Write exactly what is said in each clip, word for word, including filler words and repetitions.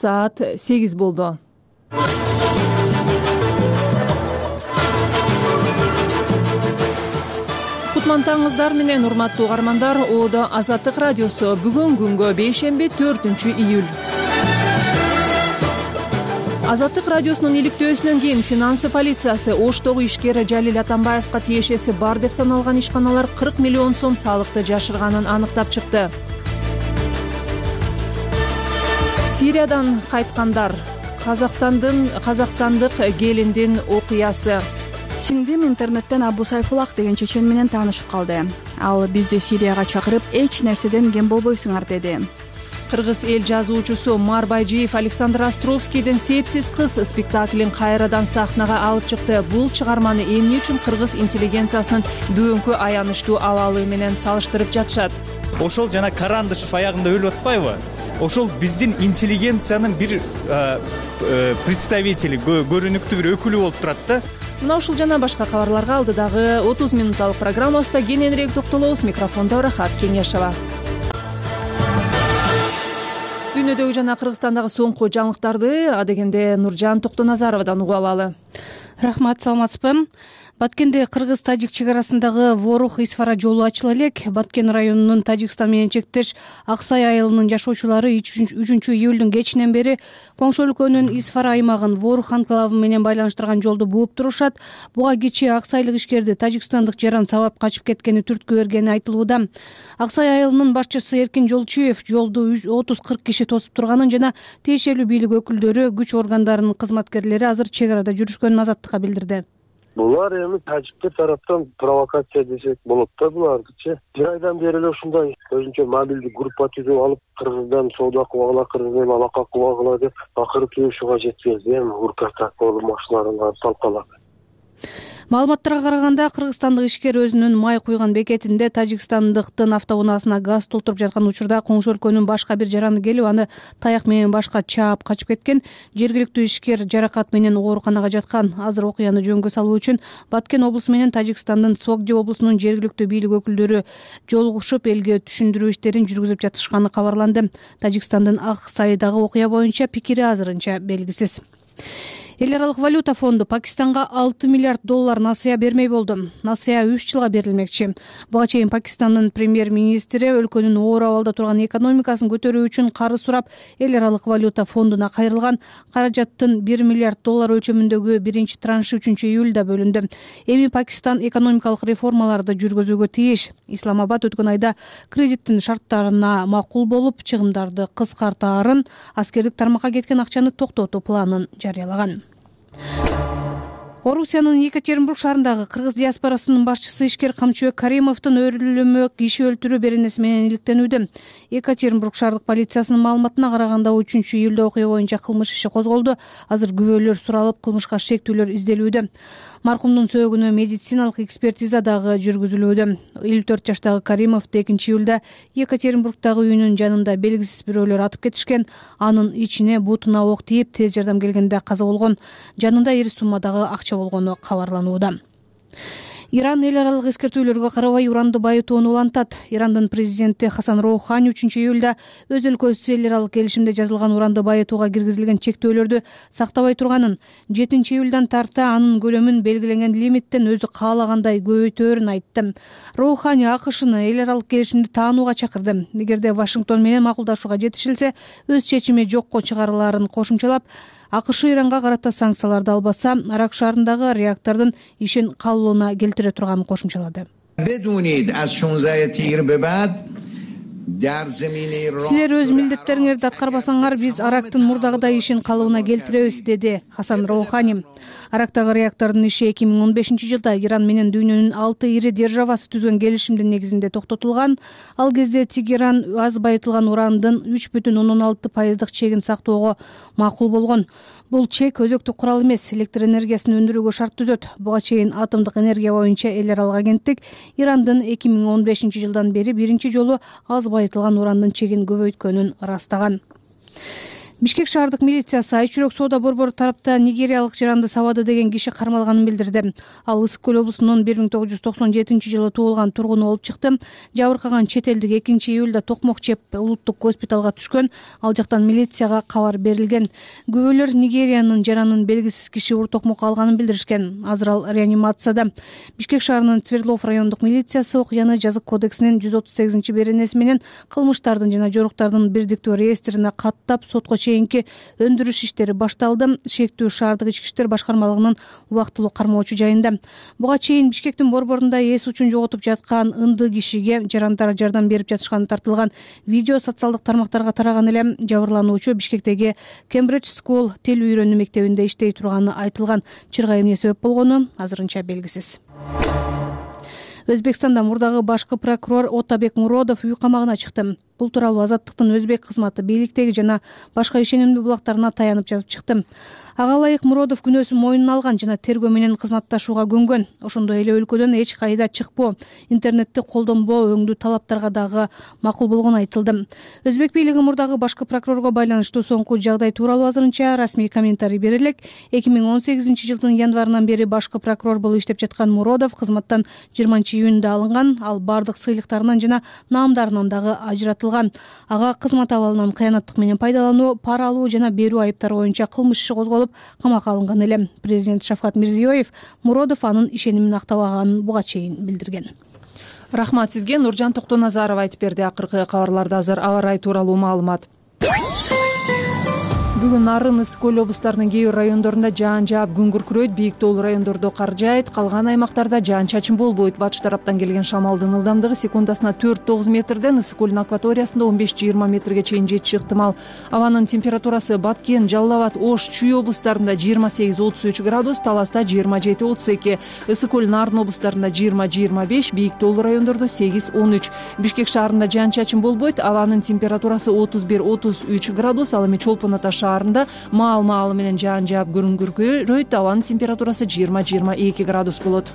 саат сегиз болду. Кутмантаңыздар менен урматтуу угармандар. Оодо Азаттык радиосу. Бүгүн күнгө бейшемби төртүнчү июль. Азаттык радиосунун иликтөөсүнөн кийин финансы полициясы Оштогу ишкер Жалил Атамбаевка тиешеси бар деп саналган ишканалар кырк миллион сом салыкты жашырганын аныктап чыкты. Сириядан кайткандар. Казакстандын казакстандык келиндин окуясы. Сиңдим интернеттен Абу Сайфулах деген чечен менен таанышып калды. Ал бизди Сирияга чакырып, эч нерседен кем болбойсуңар деди. Кыргыз эл жазуучусу Мар Байжиев Александр Островскийдин «Сепсиз кыз» спектаклин кайрадан сахнага алып чыкты. Бул чыгарманы эмне үчүн кыргыз интеллигенциясынын бүгүнкү аянычтуу абалы менен салыштырып жатышат? Ошол жана Карандышев аягында өлүп атпайбы? Ошол биздин интеллигенциянын бир представители, көрүнүктүү бир өкүлү болуп турат да. Мына ушул жана башка кабарларга алдыдагы отуз минутталык программабызда кененирээк токтолобуз. Микрофондо Рахат Кеңешова. Дүйнөдөгү жана Кыргызстандагы соңку жаңылыктарды адегенде Нуржан Токтоназаровадан угуп алалы. Рахмат, саламатсызбы? Баткенде кыргыз-тажик чек арасындагы Ворух Исфара жолу ачыла элек. Баткен районунун Тажикстан менен чектеш Аксай айылынын жашоочулары үчүнчү июлдун кечинен бери коңшу өлкөнүн Исфара аймагын Ворух анклавы менен байланыштырган жолду бууп турушат. Буга кечээ аксайлык ишкерди тажикстандык жаран сабап качып кеткени түрткү бергени айтылууда. Аксай айылынын башчысы Эркин Жолчуев жолду отуз кырк киши тосуп турганын жана тиешелүү бийлик өкүлдөрү, күч органдарынын кызматкерлери азыр чек арада жүрүшкөнүн Азаттыкка билдирди. Булар эми тажиктер тараптан провокация десек болот да, булардычы. Бир айдан бери эле ушундай өзүнчө мобилдик группа түзүп алып, кыргыздан соода кылгыла, кыргыздан алака кылгыла деп акыры туюшуга жеткенди. Эми уркатак болуп машиналарын талкалап. Маалыматтарга караганда, кыргызстандык ишкер өзүнүн май куйган бекетинде тажикстандыктын автоунаасына газ толтуруп жаткан учурда коңшу өлкөнүн башка бир жараны келип, аны таяк менен башка чаап качып кеткен. Жергиликтүү ишкер жаракат менен ооруканага жаткан. Азыр окуяны жөнгө салуу үчүн Баткен облусу менен Тажикстандын Согди облусунун жергиликтүү бийлик өкүлдөрү жолугушуп, элге түшүндүрүү иштерин жүргүзүп жатышканы кабарланды. Тажикстандын Аксайдагы окуя боюнча пикири азырынча белгисиз. Эл аралык валюта фонду Пакистанга алты миллиард доллар насыя бермей болду. Насыя үч жылга берилмекчи. Буга чейин Пакистандын премьер-министри өлкөнүн оор абалда турган экономикасын көтөрүү үчүн карыз сурап, эл аралык валюта фондуна кайрылган. Каражаттын бир миллиард доллар өлчөмүндөгү биринчи траншы үчүнчү июлда бөлүндү. Эми Пакистан экономикалык реформаларды жүргүзүүгө тийиш. Исламабад өткөн айда кредиттин шарттарына макул болуп, чыгымдарды кыскартаарын, аскердик тармакка кеткен акчаны токтотуу планын жарыялаган. Орусиянын Екатеринбург шаарындагы кыргыз диаспорасынын башчысы ишкер Камчыбек Каримовдун өлүмү киши өлтүрүү беренеси менен иликтенүүдө. Екатеринбург шаардык полициясынын маалыматына караганда, үчүнчү июлда окуя боюнча кылмыш иши козголду. Азыр күбөлөр суралып, кылмышка шектүүлөр изделүүдө. Маркумдун сөөгүнө медициналык экспертиза дагы жүргүзүлүүдө. элүү төрт жаштагы Каримовду экинчи июлда Екатеринбургдагы үйүнүн жанында белгисиз бирөөлөр атып кетишкен. Анын ичине бутуна ок тийип, тез жардам келгенде каза болгон. Жанында ири суммадагы акча болгону кабарланууда. Иран эл аралык эскертүүлөргө карабай уранды байытууну улантат. Ирандын президенти Хасан Роухани үчүнчү июлда өз өлкөсү эл аралык келишимде жазылган уранды байытууга киргизилген чектөөлөрдү сактабай турганын, жетинчи июлдан тарта анын көлөмүн белгиленген лимиттен өзү каалагандай көбөйтөөрүн айтты. Роухани АКШны эл аралык келишимди таанууга чакырды. Эгерде Вашингтон менен макулдашууга жетишилсе, өз чечими жокко чыгарылаарын кошумчалап, АКШ Иранга карата санкцияларды албаса, Арак шаарындагы реактордун ишин калууна келтире турганын кошумчалады. Силер өз милдеттериңерди аткарбасаңар, биз Арактын мурдагыдай ишин калыбына келтиребиз, деди Хасан Роухани. Арактагы реактордун иши эки миң он бешинчи жылда Иран менен дүйнөнүн алты ири державасы түзгөн келишимдин негизинде токтотулган. Ал кезде Тегеран аз байытылган урандын үч бүтүн ондон алты пайыздык чегин сактоого макул болгон. Бул чек өзөктүк курал эмес, электр энергиясын өндүрүүгө шарт түзөт. Буга чейин атомдук энергия боюнча эл аралык агенттик Ирандын эки миң он бешинчи жылдан бери биринчи жолу аз байытылган урандын чегин көбөйткөнүн ырастаган. Бишкек шаардык милициясы Айчүрөк соода борбору тарапта нигериялык жаранды сабады деген киши кармалганын билдирди. Ал Ысык көл облусунун бир миң тогуз жүз токсон жетинчи жылы туулган тургуну болуп чыкты. Жабыркаган чет элдик экинчи июлда токмок жеп улуттук госпиталга түшкөн. Ал жактан милицияга кабар берилген. Күбөлөр Нигериянын жаранын белгисиз киши ур токмок алганын билдиришкен. Азыр ал реанимацияда. Бишкек шаарынын Свердлов райондук милициясы окуяны жазык кодексинин жүз отуз сегизинчи беренеси менен кылмыштардын жана жоруктардын бирдиктүү реестрине каттап сотко чейинки өндүрүш иштери башталды. Шектүү шаардык ички иштер башкармалыгынын убактылуу кармоочу жайында. Буга чейин Бишкектин борборунда эс учун жоготуп жаткан ынды кишиге жарандар жардам берип жатышканы тартылган видео социалдык тармактарга тараган эле. Жабырлануучу Бишкектеги Cambridge School тил үйрөнүү мектебинде иштей турганы айтылган. Чырга эмне себеп болгону азырынча белгисиз. Өзбекстанда мурдагы башкы прокурор Отабек Муродов үй камагына чыкты. Бул тууралуу Азаттыктын Өзбек кызматы бийликтеги жана башка ишенимдүү булактарына таянып жазып чыкты. Ага ылайык Муродов күнөөсүн мойнуна алган жана тергөө менен кызматташууга көнгөн. Ошондой эле өлкөдөн эч кайда чыкпоо, интернетти колдонбоо өңдүү талаптарга дагы макул болгону айтылды. Өзбек бийлиги мурдагы башкы прокурорго байланыштуу соңку жагдай тууралуу азырынча расмий комментарий бере элек. эки миң он сегизинчи жылдын январынан бери башкы прокурор болуп иштеп жаткан Муродов кызматтан жыйырманчы июнда алынган. Ал бардык сыйлыктарынан жана наамдарынан дагы ажыратылган. Ага кызмат абалынан кыянаттык менен пайдалануу, пара алуу жана берүү айыптары боюнча кылмыш иши козголуп камакка алынган эле. Президент Шавкат Мирзиёев Муродов анын ишенимин актабаганын буга чейин билдирген. Рахмат сизге. Нуржан Токтоназарова айтып берди. Акыркы кабарларда азыр аба ырайы тууралуу маалымат. Бүгүн Нарын, Ысык көл облустарынын кээ бир райондорунда жаан жаап күн күркүрөйт, бийик тоолуу райондордо кар жаайт, калган аймактарда жаан чачын болбойт. Батыш тараптан келген шамалдын ылдамдыгы секундасына төрт тогуз метрден Ысык көлдүн акваториясында он беш жыйырма метрге чейин жетиши ыктымал. Абанын температурасы Баткен, Жалал Абад, Ош, Чүй облустарында жыйырма сегиз отуз үч градус, Таласта жыйырма жети отуз эки, Ысык көл Нарын облустарында жыйырма жыйырма беш, бийик тоолуу райондордо сегиз он үч. Бишкек шаарында жаан чачын болбойт, абанын температурасы отуз бир отуз үч градус, ал эми Чолпон Ата шаарында маал-маалы менен жаан жаап күн күркүрөйт, абанын температурасы жыйырма жыйырма эки градус болот.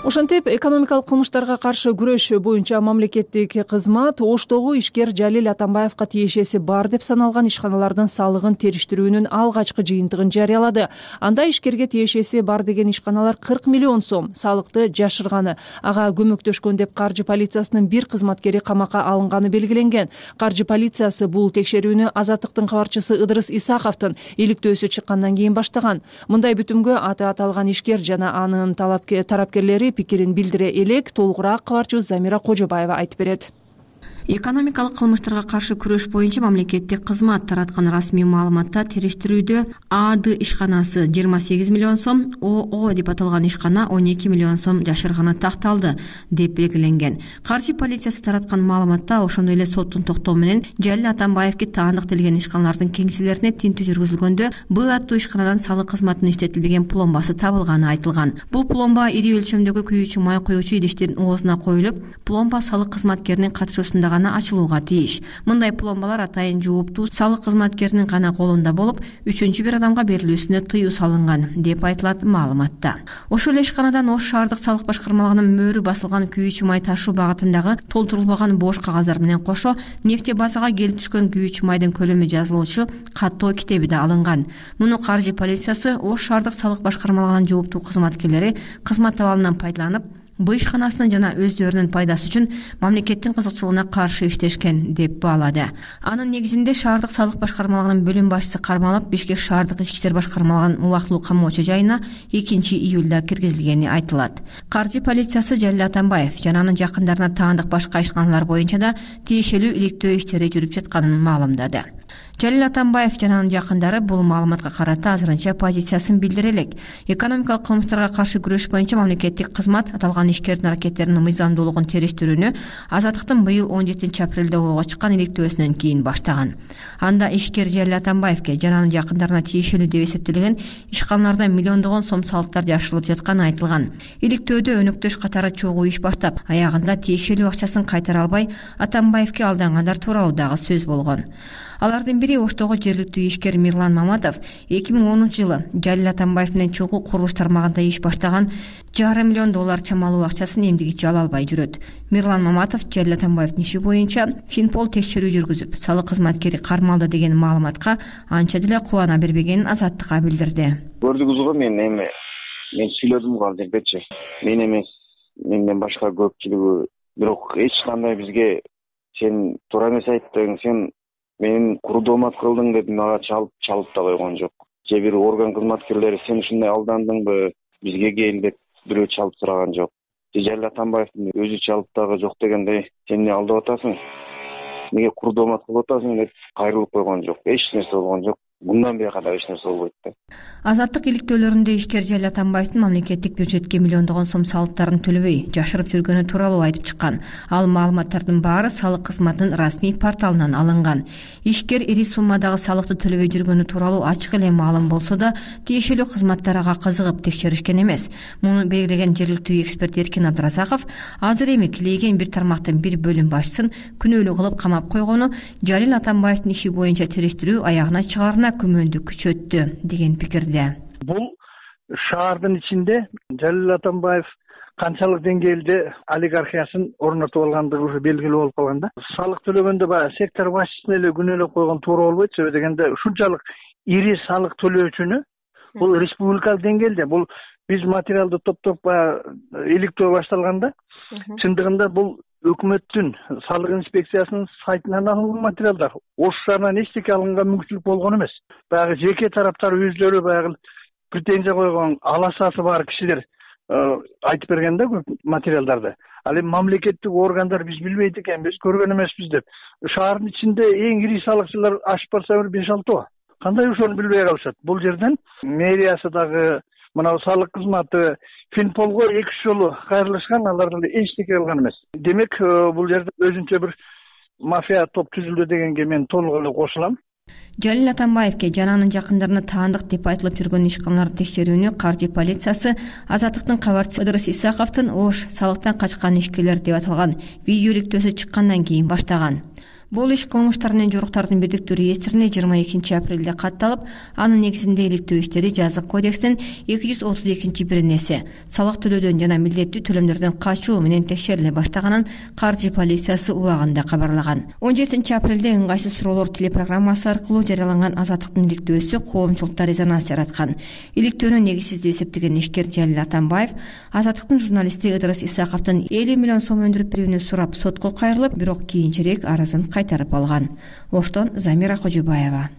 Ошентип, экономикалык кылмыштарга каршы күрөш боюнча мамлекеттик кызмат Оштогу ишкер Жалил Атамбаевка тиешеси бар деп саналган ишканалардын салыгын териштирүүнүн алгачкы жыйынтыгын жарыялады. Анда ишкерге тиешеси бар деген ишканалар кырк миллион сом салыкты жашырганы, ага көмөктөшкөн деп каржы полициясынын бир кызматкери камакка алынганы белгиленген. Каржы полициясы бул текшерүүнү Азаттыктын кабарчысы Ыдырыс Исаковдун иликтөөсү чыккандан кийин баштаган. Мындай бүтүмгө аты аталган ишкер жана анын тарапкерлери пикирин билдире элек. Толугураак кабарчыбыз Замира Кожобаева айтып берет. Экономикалык кылмыштарга каршы күрөш боюнча мамлекеттик кызмат тараткан расмий маалыматта териштирүүдө АД ишканасы жыйырма сегиз миллион сом, ОО деп аталган ишкана он эки миллион сом жашырганы такталды деп белгиленген. Каржы полициясы тараткан маалыматта ошондой эле соттун токтоо менен Жалил Атамбаевге таандык делген ишканалардын кеңселерине тинтүү жүргүзүлгөндө Б аттуу ишканадан салык кызматынын иштетилбеген пломбасы табылганы айтылган. Бул пломба ири өлчөмдөгү күйүүчү май куюучу идиштердин оозуна коюлуп, пломба салык кызматкеринин катышуусунда гана ачылууга тийиш. Мындай пломбалар атайын жууптуу салык кызматкеринин гана колунда болуп, үчүнчү бир адамга берилүүсүнө тыюу салынган деп айтылат маалыматта. Ошол эле ишканадан Ош шаардык салык башкармалыгынын мөөрү басылган күйүүчү май ташуу багытындагы толтурулбаган бош кагаздар менен кошо нефтебазага келип түшкөн күйүүчү майдын көлөмү жазылуучу каттоо китеби да алынган. Муну каржы полициясы Ош шаардык салык башкармалыгынын жооптуу кызматкерлери кызмат абалынан пайдаланып, бул ишканасынын жана өздөрүнүн пайдасы үчүн мамлекеттин кызыкчылыгына каршы иштешкен деп баалады. Анын негизинде шаардык салык башкармалыгынын бөлүм башчысы кармалып, Бишкек шаардык ички иштер башкармалыгынын убактылуу камоочу жайына экинчи июлда киргизилгени айтылат. Каржы полициясы Жалил Атамбаев жана анын жакындарына таандык башка ишканалар боюнча да тиешелүү иликтөө иштери жүрүп жатканын маалымдады. Жалил Атамбаев жана анын жакындары бул маалыматка карата азырынча позициясын билдире элек. Экономикалык кылмыштарга каршы күрөш боюнча мамлекеттик кызмат аталган ишкердин аракеттеринин мыйзамдуулугун териштирүүнү Азаттыктын быйыл он жетинчи апрелде ого чыккан иликтөөсүнөн кийин баштаган. Анда ишкер Жалил Атамбаевке жана анын жакындарына тиешелүү деп эсептелген ишканаларда миллиондогон сом салыктар жашырылып жатканы айтылган. Иликтөөдө өнөктөш катары чогуу иш баштап, аягында тиешелүү акчасын кайтара албай Атамбаевке алдангандар тууралуу дагы сөз болгон. Алардын бири Оштогу жергиликтүү ишкер Мирлан Маматов эки миң онунчу жылы Жалил Атамбаев менен чогуу курулуш тармагында иш баштаган жарым миллион доллар чамалуу акчасын эмдигичи ала албай жүрөт. Мирлан Маматов Жалил Атамбаевдин иши боюнча Финпол текшерүү жүргүзүп, салык кызматкери кармалды деген маалыматка анча деле кубана бербегенин Азаттыкка билдирди. Көрдүңүз го, мен эми мен сүйлөдүм го ал жердечи. Мен эмес, менден башка көпчүлүгү, бирок эч кандай бизге сен туура эмес айттың, сен менин куру доомат кылдың деп мага чалып чалып да койгон жок. Же бир орган кызматкерлери сен ушундай алдандыңбы, бизге кел деп бирөө чалып сураган жок. Же Жалил Атамбаевдин өзү чалып дагы жок дегендей, сен эмне алдап атасың, эмнеге куру доомат кылып атасың деп кайрылып койгон жок. Эч нерсе болгон жок. Мындан бияка да эч нерсе болбойт да. Азаттык иликтөөлөрүндө ишкер Жалил Атамбаевдин мамлекеттик бюджетке миллиондогон сом салыктарын төлөбөй жашырып жүргөнү тууралуу айтып чыккан. Ал маалыматтардын баары салык кызматынын расмий порталынан алынган. Ишкер ири суммадагы салыкты төлөбөй жүргөнү тууралуу ачык эле маалым болсо да, тиешелүү кызматтар ага кызыгып текшеришкен эмес. Муну белгилеген жергиликтүү эксперт Эркин Абдыразаков азыр эми килейген бир тармактын бир бөлүм башчысын күнөөлүү кылып камап койгону Жалил Атамбаевдин иши боюнча териштирүү аягына чыгаарына күмөндү күчөттү деген пикирде. Бул шаардын ичинде Жалил Атамбаев канчалык деңгээлде олигархиясын орнотуп алгандыгы уже белгилүү болуп калган да. Салык төлөгөндө баягы сектор башчысын эле күнөөлөп койгон туура болбойт, себеби дегенде ушунчалык ири салык төлөөчүнү бул республикалык деңгээлде, бул биз материалды топтоп баягы иликтөө башталганда, чындыгында бул өкмөттүн салык инспекциясынын сайтынан алынган материалдар. Ош шаарынан эчтеке алынган мүмкүнчүлүк болгон эмес. Баягы жеке тараптар өзлөрү баягы претензия койгон аласасы бар кишилер айтып берген да көп материалдарды. Ал эми мамлекеттик органдар биз билбейт экенбиз, көргөн эмеспиз деп. Шаардын ичинде эң ири салыкчылар ашып барса бир беш алтоо. Кандай ошону билбей калышат? Бул жерден мэриясы дагы, мына салык кызматы Финполго эки үч жолу кайрылышкан, алардан эчтеке кылган эмес. Демек, бул жерде өзүнчө бир мафия топ түзүлдү дегенге мен толук эле кошулам. Жалил Атамбаевке жана анын жакындарына таандык деп айтылып жүргөн ишканаларды текшерүүнү каржы полициясы Азаттыктын кабарчысы Ыдырыс Исаковдун Ош салыктан качкан ишкерлер деп аталган видео иликтөөсү чыккандан кийин баштаган. Бул иш кылмыштар менен жоруктардын бирдиктүү реестрине жыйырма экинчи апрелде катталып, анын негизинде иликтөө иштери жазык кодекстин эки жүз отуз экинчи биринеси салык төлөөдөн жана милдеттүү төлөмдөрдөн качуу менен текшериле баштаганын каржы полициясы убагында кабарлаган. он жетинчи апрелде ыңгайсыз суроолор телепрограммасы аркылуу жарыяланган Азаттыктын иликтөөсү коомчулукта резонанс жараткан. Иликтөөнү негизсиз деп эсептеген ишкер Жалил Атамбаев Азаттыктын журналисти Ыдырыс Исаковдун элүү миллион сом өндүрүп берүүнү сурап сотко кайрылып, бирок кийинчерээк арызын кайтарып алган. Оштон Замира Кожубаева.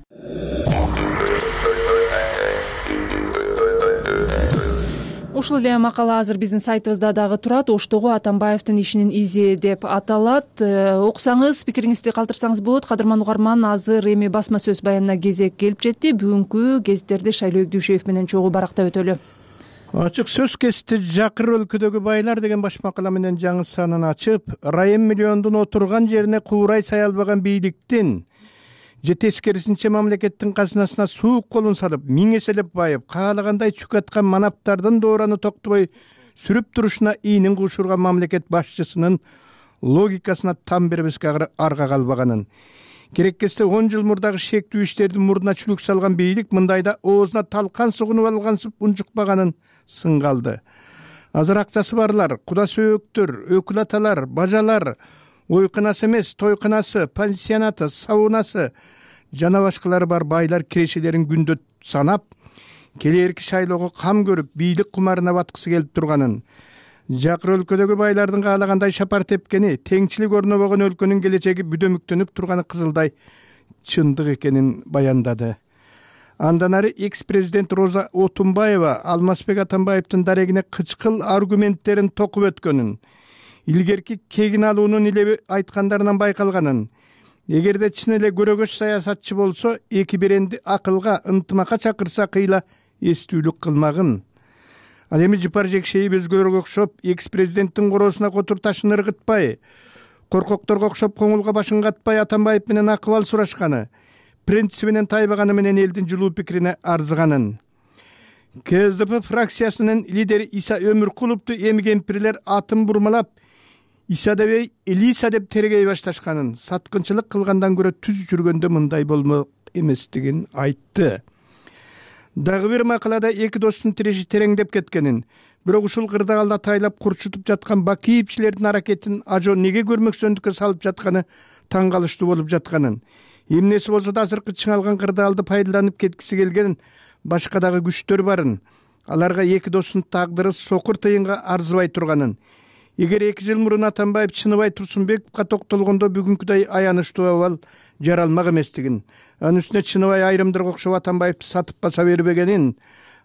Ушул эле макала азыр биздин сайтыбызда дагы турат. Оштогу Атамбаевдин ишинин изи деп аталат. Окусаңыз, пикириңизди калтырсаңыз болот. Кадырман угарман, азыр эми басма сөз баянына кезек келип жетти. Бүгүнкү гезиттерди Шайлоо Игдүүшев менен чогуу барактап өтөлү. Ачык сөз кести Жакыр өлкөдөгү байлар деген баш макала менен жаңы санын ачып, Райым миллиондун отурган жерине куурай сай албаган бийликтин же тескерисинче мамлекеттин казынасына суук колун салып, миң эселеп байып, каалагандай чүк аткан манаптардын доораны токтобой сүрүп турушуна ийнин кушурган мамлекет башчысынын логикасына там бербеске арга калбаганын, кереккесте он жыл мурдагы шектүү иштердин мурдуна чүлүк салган бийлик мындайда оозуна талкан сугунуп алгансып унчукпаганын сынгалды. Азыр акчасы барлар, куда сөөктөр, өкүл аталар, бажалар, ойкунасы эмес, тойкунасы, пансионаты, саунасы жана башкалары бар байлар кирешелерин күндө санап, келээрки шайлоого кам көрүп, бийлик кумарына баткысы келип турганын, Жакыр өлкөдөгү байлардын каалагандай шапар тепкени, теңчилик орнобогон өлкөнүн келечеги бүдөмүктөнүп турганы кызылдай чындык экенин баяндады. Андан ары экс-президент Роза Отунбаева Алмазбек Атамбаевдин дарегине кычкыл аргументтерин токуп өткөнүн, илгерки кегин алуунун илеби айткандарынан байкалганын, эгерде чын эле көрөгөч саясатчы болсо, эки беренди акылга, ынтымакка чакырса кыйла эстүүлүк кылмагын. Ал эми жыпар жекшейип өзгөлөргө окшоп, экс-президенттин короосуна котур ташын ыргытпай, коркокторго окшоп коңулга башын катпай Атамбаев менен акыбал сурашканы, принцибинен тайбаганы менен элдин жылуу пикирине арзыганын. КСДП фракциясынын лидери Иса Өмүркуловду эми кемпирлер атын бурмалап, исадебей элиса деп тергей башташканын, саткынчылык кылгандан көрө түз жүргөндө мындай болмок эместигин айтты. Дагы бир макалада эки достун тиреши тереңдеп кеткенин, бирок ушул кырдаалда тайлап курчутуп жаткан бакиевчилердин аракетин ажо неге көрмөксөндүккө салып жатканы таң калыштуу болуп жатканын, эмнеси болсо да азыркы чыңалган кырдаалды пайдаланып кеткиси келген башка дагы күчтөр барын, аларга эки достун тагдыры сокур тыйынга арзыбай турганын, эгер эки жыл мурун Атамбаев Чыныбай Турсунбековго токтолгондо бүгүнкүдөй аянычтуу абал жаралмак эместигин, анын үстүнө Чыныбай айрымдырга окшоп Атамбаевди сатып баса бербегенин,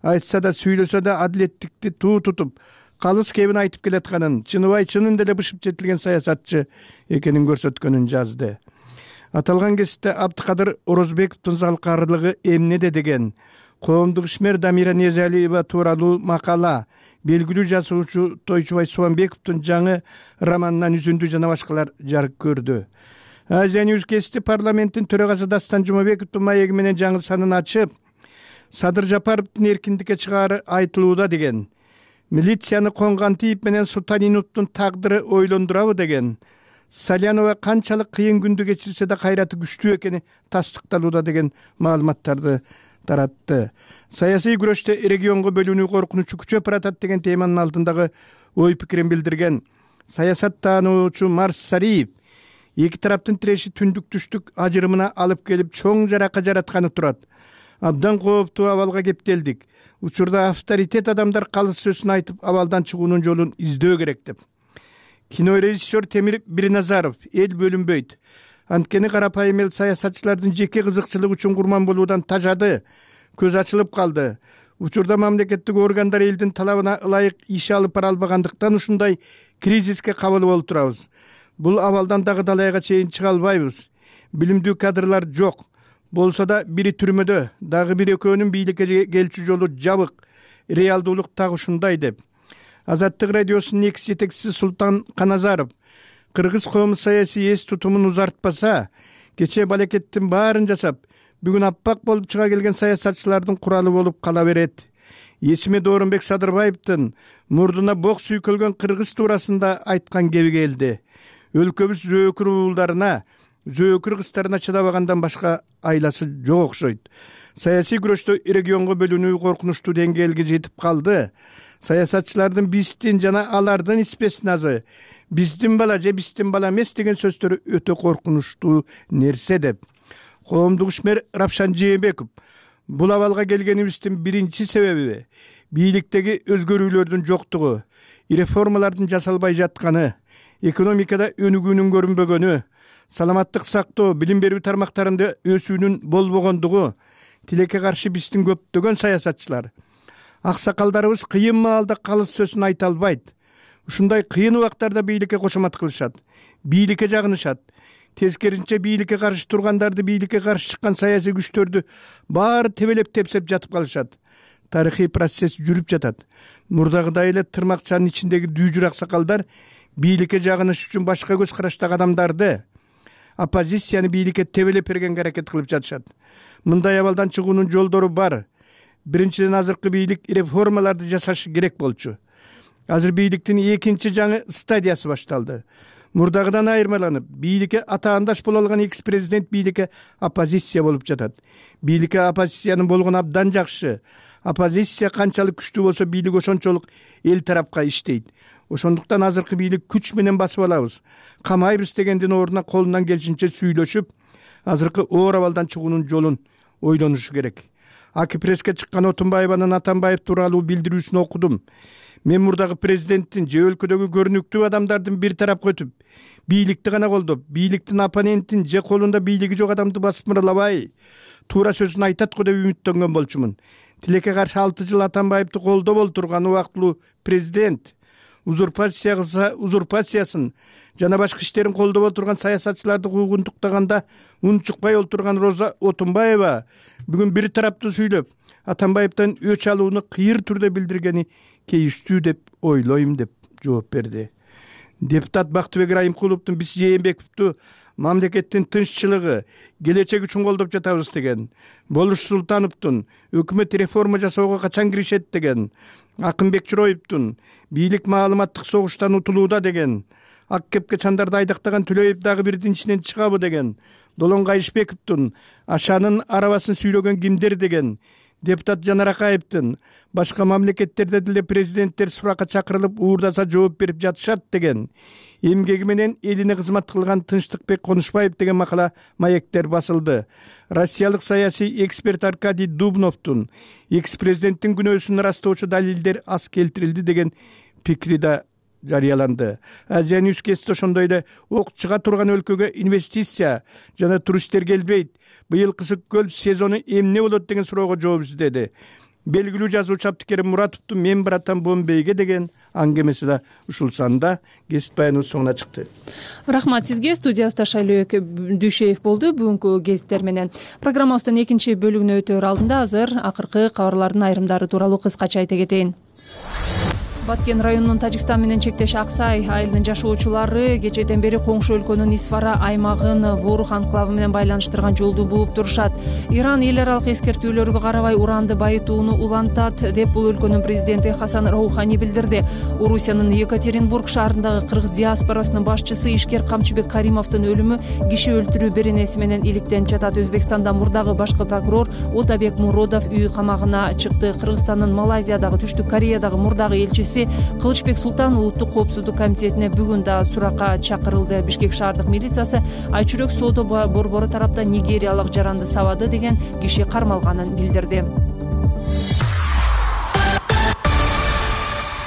айтса да сүйлөсө да адилеттикти туу тутуп калыс кебин айтып келатканын, Чыныбай чынында эле бышып жетилген саясатчы экенин көрсөткөнүн жазды. Аталган кесипте Абдыкадыр Орозбековдун залкаарлыгы эмнеде деген коомдук ишмер Дамира Незалиева тууралуу макала, белгилүү жазуучу Тойчубай Субанбековдун жаңы романынан үзүндү жана башкалар жарык көрдү. Азия Ньюс кесипти парламенттин төрагасы Дастан Жумабековдун маеги менен жаңы санын ачып, Садыр Жапаровдун эркиндикке чыгаары айтылууда деген, милицияны конган тийип менен Султаниновдун тагдыры ойлондурабы деген, Салянова канчалык кыйын күндү кечирсе да кайраты күчтүү экени тастыкталууда деген маалыматтарды таратты. Саясий күрөштө регионго бөлүнүү коркунучу күчөп баратат деген теманын алдындагы ой пикирин билдирген саясаттануучу Марс Сариев эки тараптын тиреши түндүк түштүк ажырымына алып келип чоң жарака жаратканы турат. Абдан кооптуу абалга кептелдик. Учурда авторитет адамдар калыс сөзүн айтып абалдан чыгуунун жолун издөө керек деп. Кинорежиссер Темир Бирназаров эл бөлүнбөйт. Анткени карапайым эл саясатчылардын жеке кызыкчылык үчүн курман болуудан тажады, көз ачылып калды. Учурда мамлекеттик органдар элдин талабына ылайык иш алып бара албагандыктан ушундай кризиске кабыл болуп турабыз. Бул абалдан дагы далайга чейин чыга албайбыз. Билимдүү кадрлар жок. Болсо да бири түрмөдө, дагы бир экөөнүн бийликке келчү жолу жабык. Реалдуулук так ушундай деп. Азаттык радиосунун экс жетекчиси Султан Каназаров кыргыз коому саясий эс тутумун узартпаса, кечээ балекеттин баарын жасап, бүгүн аппак болуп чыга келген саясатчылардын куралы болуп кала берет. Эсиме Доорунбек Садырбаевдин мурдуна бок сүйкөлгөн кыргыз туурасында айткан кеби келди. Өлкөбүз зөөкүр уулдарына, зөөкүр кыздарына чыдабагандан башка айласы жок окшойт. Саясий күрөштө регионго бөлүнүү коркунучтуу деңгээлге жетип калды. Саясатчылардын биздин жана алардын спецназы, биздин бала же биздин бала эмес деген сөздөрү өтө коркунучтуу нерсе деп. Коомдук ишмер Рапшан Жээнбеков бул абалга келгенибиздин биринчи себеби бийликтеги өзгөрүүлөрдүн жоктугу, реформалардын жасалбай жатканы, экономикада өнүгүүнүн көрүнбөгөнү, саламаттык сактоо, билим берүү тармактарында өсүүнүн болбогондугу, тилекке каршы биздин көптөгөн саясатчылар, аксакалдарыбыз кыйын маалда калыс сөзүн айта албайт. Ушундай кыйын убактарда бийликке кошомат кылышат, бийликке жагынышат. Тескерисинче бийликке каршы тургандарды, бийликке каршы чыккан саясий күчтөрдү баары тебелеп тепсеп жатып калышат. Тарыхый процесс жүрүп жатат. Мурдагыдай эле тырмакчанын ичиндеги дүүжүр аксакалдар бийликке жагыныш үчүн башка көз караштагы адамдарды, оппозицияны бийликке тебелеп бергенге аракет кылып жатышат. Мындай абалдан чыгуунун жолдору бар. Биринчиден, азыркы бийлик реформаларды жасашы керек болчу. Азыр бийликтин экинчи жаңы стадиясы башталды. Мурдагыдан айырмаланып, бийликке атаандаш боло алган экс-президент бийликке оппозиция болуп жатат. Бийликке оппозициянын болгону абдан жакшы. Оппозиция канчалык күчтүү болсо, бийлик ошончолук эл тарапка иштейт. Ошондуктан азыркы бийлик күч менен басып алабыз, камайбыз дегендин ордуна колунан келишинче сүйлөшүп, азыркы оор абалдан чыгуунун жолун ойлонушу керек. Аки преске чыккан Отунбаеванын Атамбаев тууралуу билдирүүсүн окудум. Мен мурдагы президенттин же өлкөдөгү көрүнүктүү адамдардын бир тарапка өтүп, бийликти гана колдоп, бийликтин оппонентин же колунда бийлиги жок адамды басып мыралабай, туура сөзүн айтат го деп үмүттөнгөн болчумун. Тилекке каршы алты жыл Атамбаевди колдоп олтурган убактылуу президент узурпациясы, узурпациясын жана башка иштерин колдоп олтурган саясатчыларды куугунтуктаганда унчукпай олтурган Роза Отунбаева бүгүн бир тараптуу сүйлөп, Атамбаевден өч алууну кыйыр түрдө билдиргени кейиштүү деп ойлойм деп жооп берди. Депутат Бактыбек Райымкуловдун биз Жээнбековду мамлекеттин тынччылыгы, келечеги үчүн колдоп жатабыз деген, Болуш Султановдун өкмөт реформа жасоого качан киришет деген, Акынбек Чыроевдун бийлик маалыматтык согуштан утулууда деген, ак кепке чандарды айдактаган Түлөев дагы бирдин ичинен чыгабы деген, Долон Кайышбековдун Ашанын арабасын сүйлөгөн кимдер деген, депутат Жанар Акаевдин башка мамлекеттерде деле президенттер суракка чакырылып уурдаса жооп берип жатышат деген, эмгеги менен элине кызмат кылган Тынчтыкбек Конушбаев деген макала маектер басылды. Россиялык саясий эксперт Аркадий Дубновдун экс-президенттин күнөөсүн ырастоочу далилдер аз келтирилди деген пикри да жарыяланды. Азия Ньюс Кест ошондой эле ок чыга турган өлкөгө инвестиция жана туристтер келбейт. Быйыл кысык көл сезону эмне болот деген суроого жооп издеди. Белгилүү жазуучу Абдикерим Муратовдун Мен баратам Бомбейге деген аңгемеси да ушул санда кесип баяныбыз соңуна чыкты. Рахмат сизге. Студиябызда Шайлөөк Дүйшеев болду бүгүнкү кесиптер менен. Программабыздын экинчи бөлүгүнө өтөөр алдында азыр акыркы кабарлардын айрымдары тууралуу кыскача айта кетейин. Баткен районунун Тажикстан менен чектеш Аксай айылынын жашоочулары кечээден бери коңшу өлкөнүн Исфара аймагын Ворух анклавы менен байланыштырган жолду бууп турушат. Иран эл аралык эскертүүлөргө карабай уранды байытууну улантат деп бул өлкөнүн президенти Хасан Роухани билдирди. Орусиянын Екатеринбург шаарындагы кыргыз диаспорасынын башчысы Ишкер Камчыбек Каримовдун өлүмү киши өлтүрүү беренеси менен иликтенип жатат. Өзбекстанда мурдагы башкы прокурор Отабек Муродов үй камагына чыкты. Кыргызстандын Малайзиядагы, Түштүк Кореядагы мурдагы элчиси Кылычбек Султан улуттук коопсуздук комитетине бүгүн да суракка чакырылды. Бишкек шаардык милициясы Айчүрөк соода борбору тараптан нигериялык жаранды сабады деген киши кармалганын билдирди.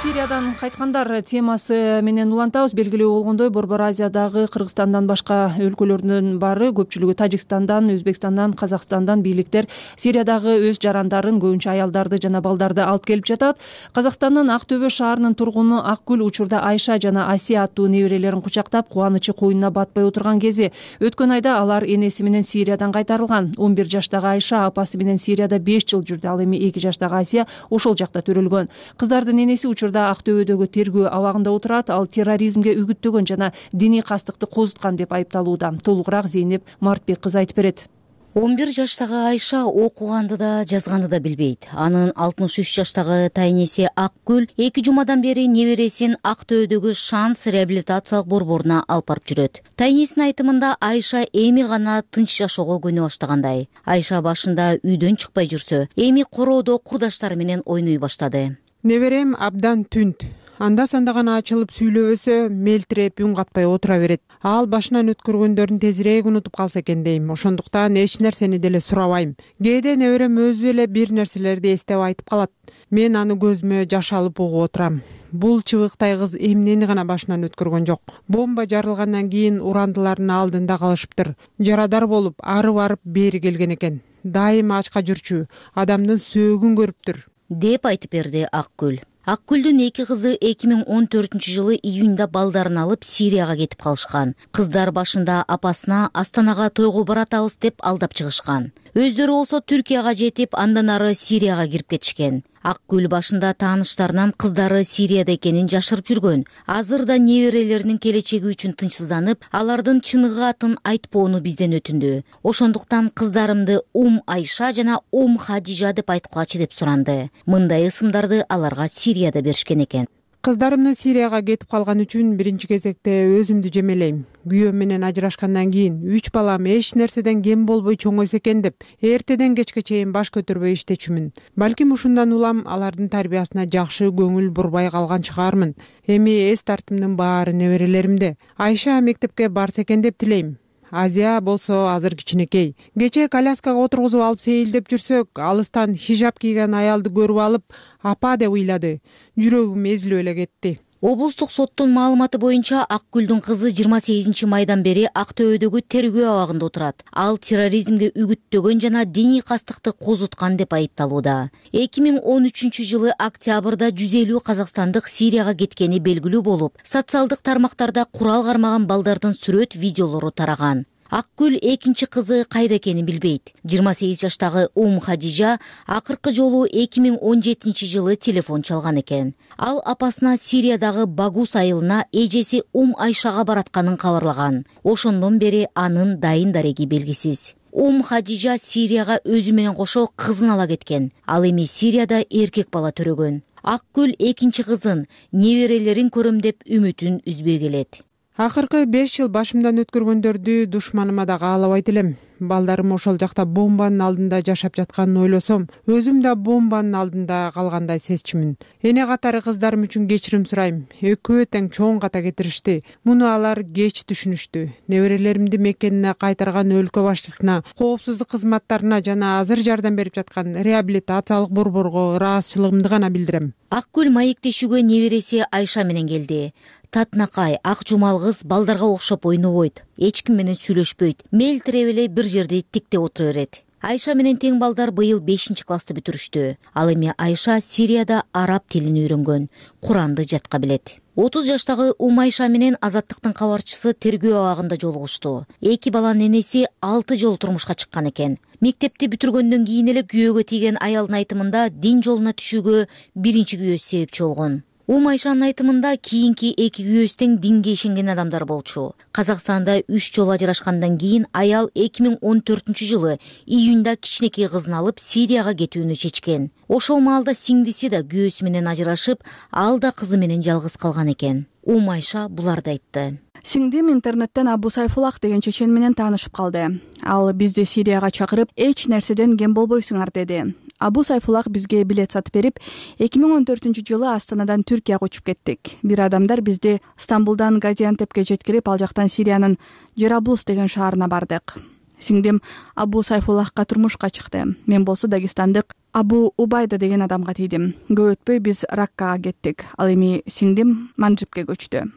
Сириядан кайткандар темасы менен улантабыз. Белгилүү болгондой, Борбор Азиядагы Кыргызстандан башка өлкөлөрдүн баары, көпчүлүгү Тажикстандан, Өзбекстандан, Казакстандан бийликтер Сириядагы өз жарандарын, көбүнчө аялдарды жана балдарды алып келип жатат. Казакстандын Ак Төбө шаарынын тургуну Акгүл учурда Айша жана Асия аттуу неберелерин кучактап, кубанычы коюнуна батпай отурган кези. Өткөн айда алар энеси менен Сириядан кайтарылган. он бир жаштагы Айша апасы менен Сирияда беш жыл жүрдү. Ал эми эки жаштагы Асия ошол жакта төрөлгөн. Кыздардын энеси учурда Ак Төбөдөгү тергөө абагында отурат. Ал терроризмге үгүттөгөн жана диний кастыкты козуткан деп айыпталууда. Толугураак Зейнеп Мартбек кызы айтып берет. он бир жаштагы Айша окуганды да жазганды да билбейт. Анын алтымыш үч жаштагы тайнеси Акгүл эки жумадан бери небересин Ак Төбөдөгү Шанс реабилитациялык борборуна алып барып жүрөт. Тайнесинин айтымында Айша эми гана тынч жашоого көнө баштагандай. Айша башында үйдөн чыкпай жүрсө, эми короодо курдаштары менен ойной баштады. Неберем абдан түнт. Анда санда гана ачылып сүйлөбөсө, мелтиреп үн катпай отура берет. Ал башынан өткөргөндөрүн тезирээк унутуп калса экен дейм. Ошондуктан эч нерсени деле сурабайм. Кээде неберем өзү эле бир нерселерди эстеп айтып калат. Мен аны көзүмө жаш алып угуп отурам. Бул чыбыктай кыз эмнени гана башынан өткөргөн жок. Бомба жарылгандан кийин урандылардын алдында калышыптыр. Жарадар болуп, ары барып бери келген экен. Дайыма ачка жүрчү, адамдын сөөгүн көрүптүр деп айтып берди Акгүл. Акгүлдүн эки кызы эки миң он төртүнчү жылы июнда балдарын алып Сирияга кетип калышкан. Кыздар башында апасына Астанага тойго баратабыз деп алдап чыгышкан. Өздөрү болсо Түркияга жетип, андан ары Сирияга кирип кетишкен. Акгүл башында тааныштарынан кыздары Сирияда экенин жашырып жүргөн. Азыр да неберелеринин келечеги үчүн тынчсызданып, алардын чыныгы атын айтпоону бизден өтүндү. Ошондуктан кыздарымды Ум Айша жана Ум Хадижа деп айткылачы деп суранды. Мындай ысымдарды аларга Сирияда беришкен экен. Кыздарымдын Сирияга кетип калган үчүн биринчи кезекте өзүмдү жемелейм. Күйөөм менен ажырашкандан кийин үч балам эч нерседен кем болбой чоңойсо экен деп эртеден кечке чейин баш көтөрбөй иштечүмүн. Балким ушундан улам алардын тарбиясына жакшы көңүл бурбай калган чыгармын. Эми эс тартымдын баары неберелеримде. Айша мектепке барса экен деп тилейм. Азия болсо азыр кичинекей. Кечээ коляскага отургузуп алып сейилдеп жүрсөк, алыстан хижап кийген аялды көрүп алып, апа деп ыйлады. Жүрөгүм эзилип эле кетти. Облустук соттун маалыматы боюнча Акгүлдүн кызы жыйырма сегизинчи майдан бери Ак Төбөдөгү тергөө абагында отурат. Ал терроризмге үгүттөгөн жана диний кастыкты козуткан деп айыпталууда. эки миң он үчүнчү жылы октябрда жүз элүү казакстандык Сирияга кеткени белгилүү болуп, социалдык тармактарда курал кармаган балдардын сүрөт видеолору тараган. Акгүл экинчи кызы кайда экенин билбейт. жыйырма сегиз жаштагы Ум Хадижа акыркы жолу эки миң он жетинчи жылы телефон чалган экен. Ал апасына Сириядагы Багус айылына эжеси Ум Айшага баратканын кабарлаган. Ошондон бери анын дайын дареги белгисиз. Ум Хадижа Сирияга өзү менен кошо кызын ала кеткен. Ал эми Сирияда эркек бала төрөгөн. Акгүл экинчи кызын, неберелерин көрөм деп үмүтүн үзбөй келет. акыркы беш жыл башымдан өткөргөндөрдү душманыма да каалабайт элем. Балдарым ошол жакта бомбанын алдында жашап жатканын ойлосом, өзүм да бомбанын алдында калгандай сезчүмүн. Эне катары кыздарым үчүн кечирим сурайм. Экөө тең чоң ката кетиришти. Муну алар кеч түшүнүштү. Неберелеримди мекенине кайтарган өлкө башчысына, коопсуздук кызматтарына жана азыр жардам берип жаткан реабилитациялык борборго ыраазычылыгымды гана билдирем. Ак гүл маектешүүгө небереси Айша менен келди. Татынакай, ак жумал кыз балдарга окшоп ойнобойт, эч ким менен сүйлөшпөйт, мелтирип эле бир жерде тиктеп отура берет. Айша менен тең балдар быйыл бешинчи классты бүтүрүштү. Ал эми Айша Сирияда араб тилин үйрөнгөн, Куранды жатка билет. отуз жаштагы Умайша менен Азаттыктын кабарчысы тергөө абагында жолугушту. Эки баланын энеси алты жолу турмушка чыккан экен. Мектепти бүтүргөндөн кийин эле күйөөгө тийген аялдын айтымында дин жолуна түшүүгө биринчи күйөөсү себепчи болгон. Умайшанын айтымында кийинки эки күйөөсү тең динге ишенген адамдар болчу. Казакстанда үч жолу ажырашкандан кийин аял эки миң он төртүнчү жылы июнда кичинекей кызын алып Сирияга кетүүнү чечкен. Ошол маалда сиңдиси да күйөөсү менен ажырашып, ал да кызы менен жалгыз калган экен. Умайша буларды айтты. Сиңдим интернеттен Абу Сайфулах деген чечен менен таанышып калды. Ал бизди Сирияга чакырып, эч нерседен кем болбойсуңар деди. Абу Сайфулах бизге билет сатып берип, эки миң он төртүнчү жылы Астанадан Түркияга учуп кеттик. Бир адамдар бизди Стамбулдан Газиантепке жеткирип, ал жактан Сириянын Жараблус деген шаарына бардык. Сиңдим Абу Сайфулахка турмушка чыкты. Мен болсо Дагестандык Абу Убайда деген адамга тийдим. Көп өтпөй биз Раккага кеттик. Ал эми сиңдим Манжибке көчтү.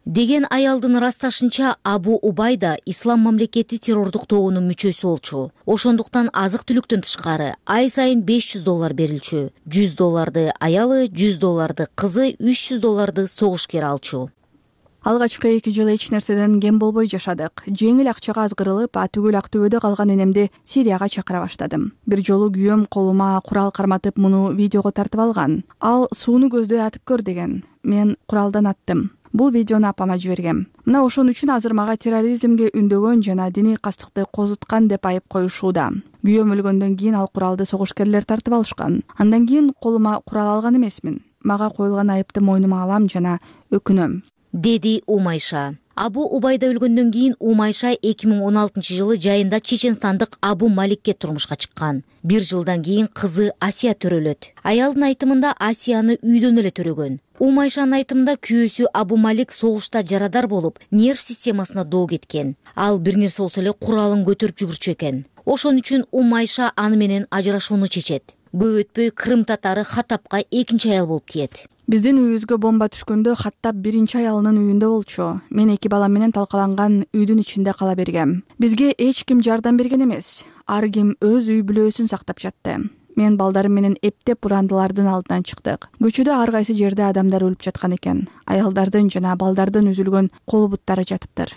Деген аялдын ырасташынча Абу Убайда Ислам мамлекети террордук тобунун мүчөсү болчу. Ошондуктан азык-түлүктөн тышкары ай сайын беш жүз доллар берилчү. жүз долларды аялы, жүз долларды кызы, үч жүз долларды согушкер алчу. Алгачкы эки жыл эч нерседен кем болбой жашадык. Жеңил акчага азгырылып, атүгүл Актөбөдө калган энемди Сирияга чакыра баштадым. Бир жолу күйөөм колума курал карматып, муну видеого тартып алган. Ал сууну көздөй атып көр деген. Мен куралдан аттым. Бул видеону апама жибергем. Мына ошон үчүн азыр мага терроризмге үндөгөн жана диний кастыкты козуткан деп айып коюшууда. Күйөөм өлгөндөн кийин ал куралды согушкерлер тартып алышкан. Андан кийин колума курал алган эмесмин. Мага коюлган айыпты мойнума алам жана өкүнөм, деди Умайша. Абу Убайда өлгөндөн кийин Умайша эки миң он алтынчы жылы жайында чеченстандык Абу Маликке турмушка чыккан. Бир жылдан кийин кызы Асия төрөлөт. Аялдын айтымында Асияны үйдөн эле төрөгөн. Умайшанын айтымында күйөөсү Абу Малик согушта жарадар болуп, нерв системасына доо кеткен. Ал бир нерсе болсо эле куралын көтөрүп жүгүрчү экен. Ошон үчүн Умайша аны менен ажырашууну чечет. Көп өтпөй Крым татары Хаттабка экинчи аял болуп тиет. Биздин үйүбүзгө бомба түшкөндө Хаттаб биринчи аялынын үйүндө болчу. Мен эки балам менен талкаланган үйдүн ичинде кала бергем. Бизге эч ким жардам берген эмес. Ар ким өз үй бүлөсүн сактап жатты. Мен балдарым менен эптеп урандылардын алдынан чыктык. Көчөдө ар кайсы жерде адамдар өлүп жаткан экен. Аялдардын жана балдардын үзүлгөн кол буттары жатыптыр,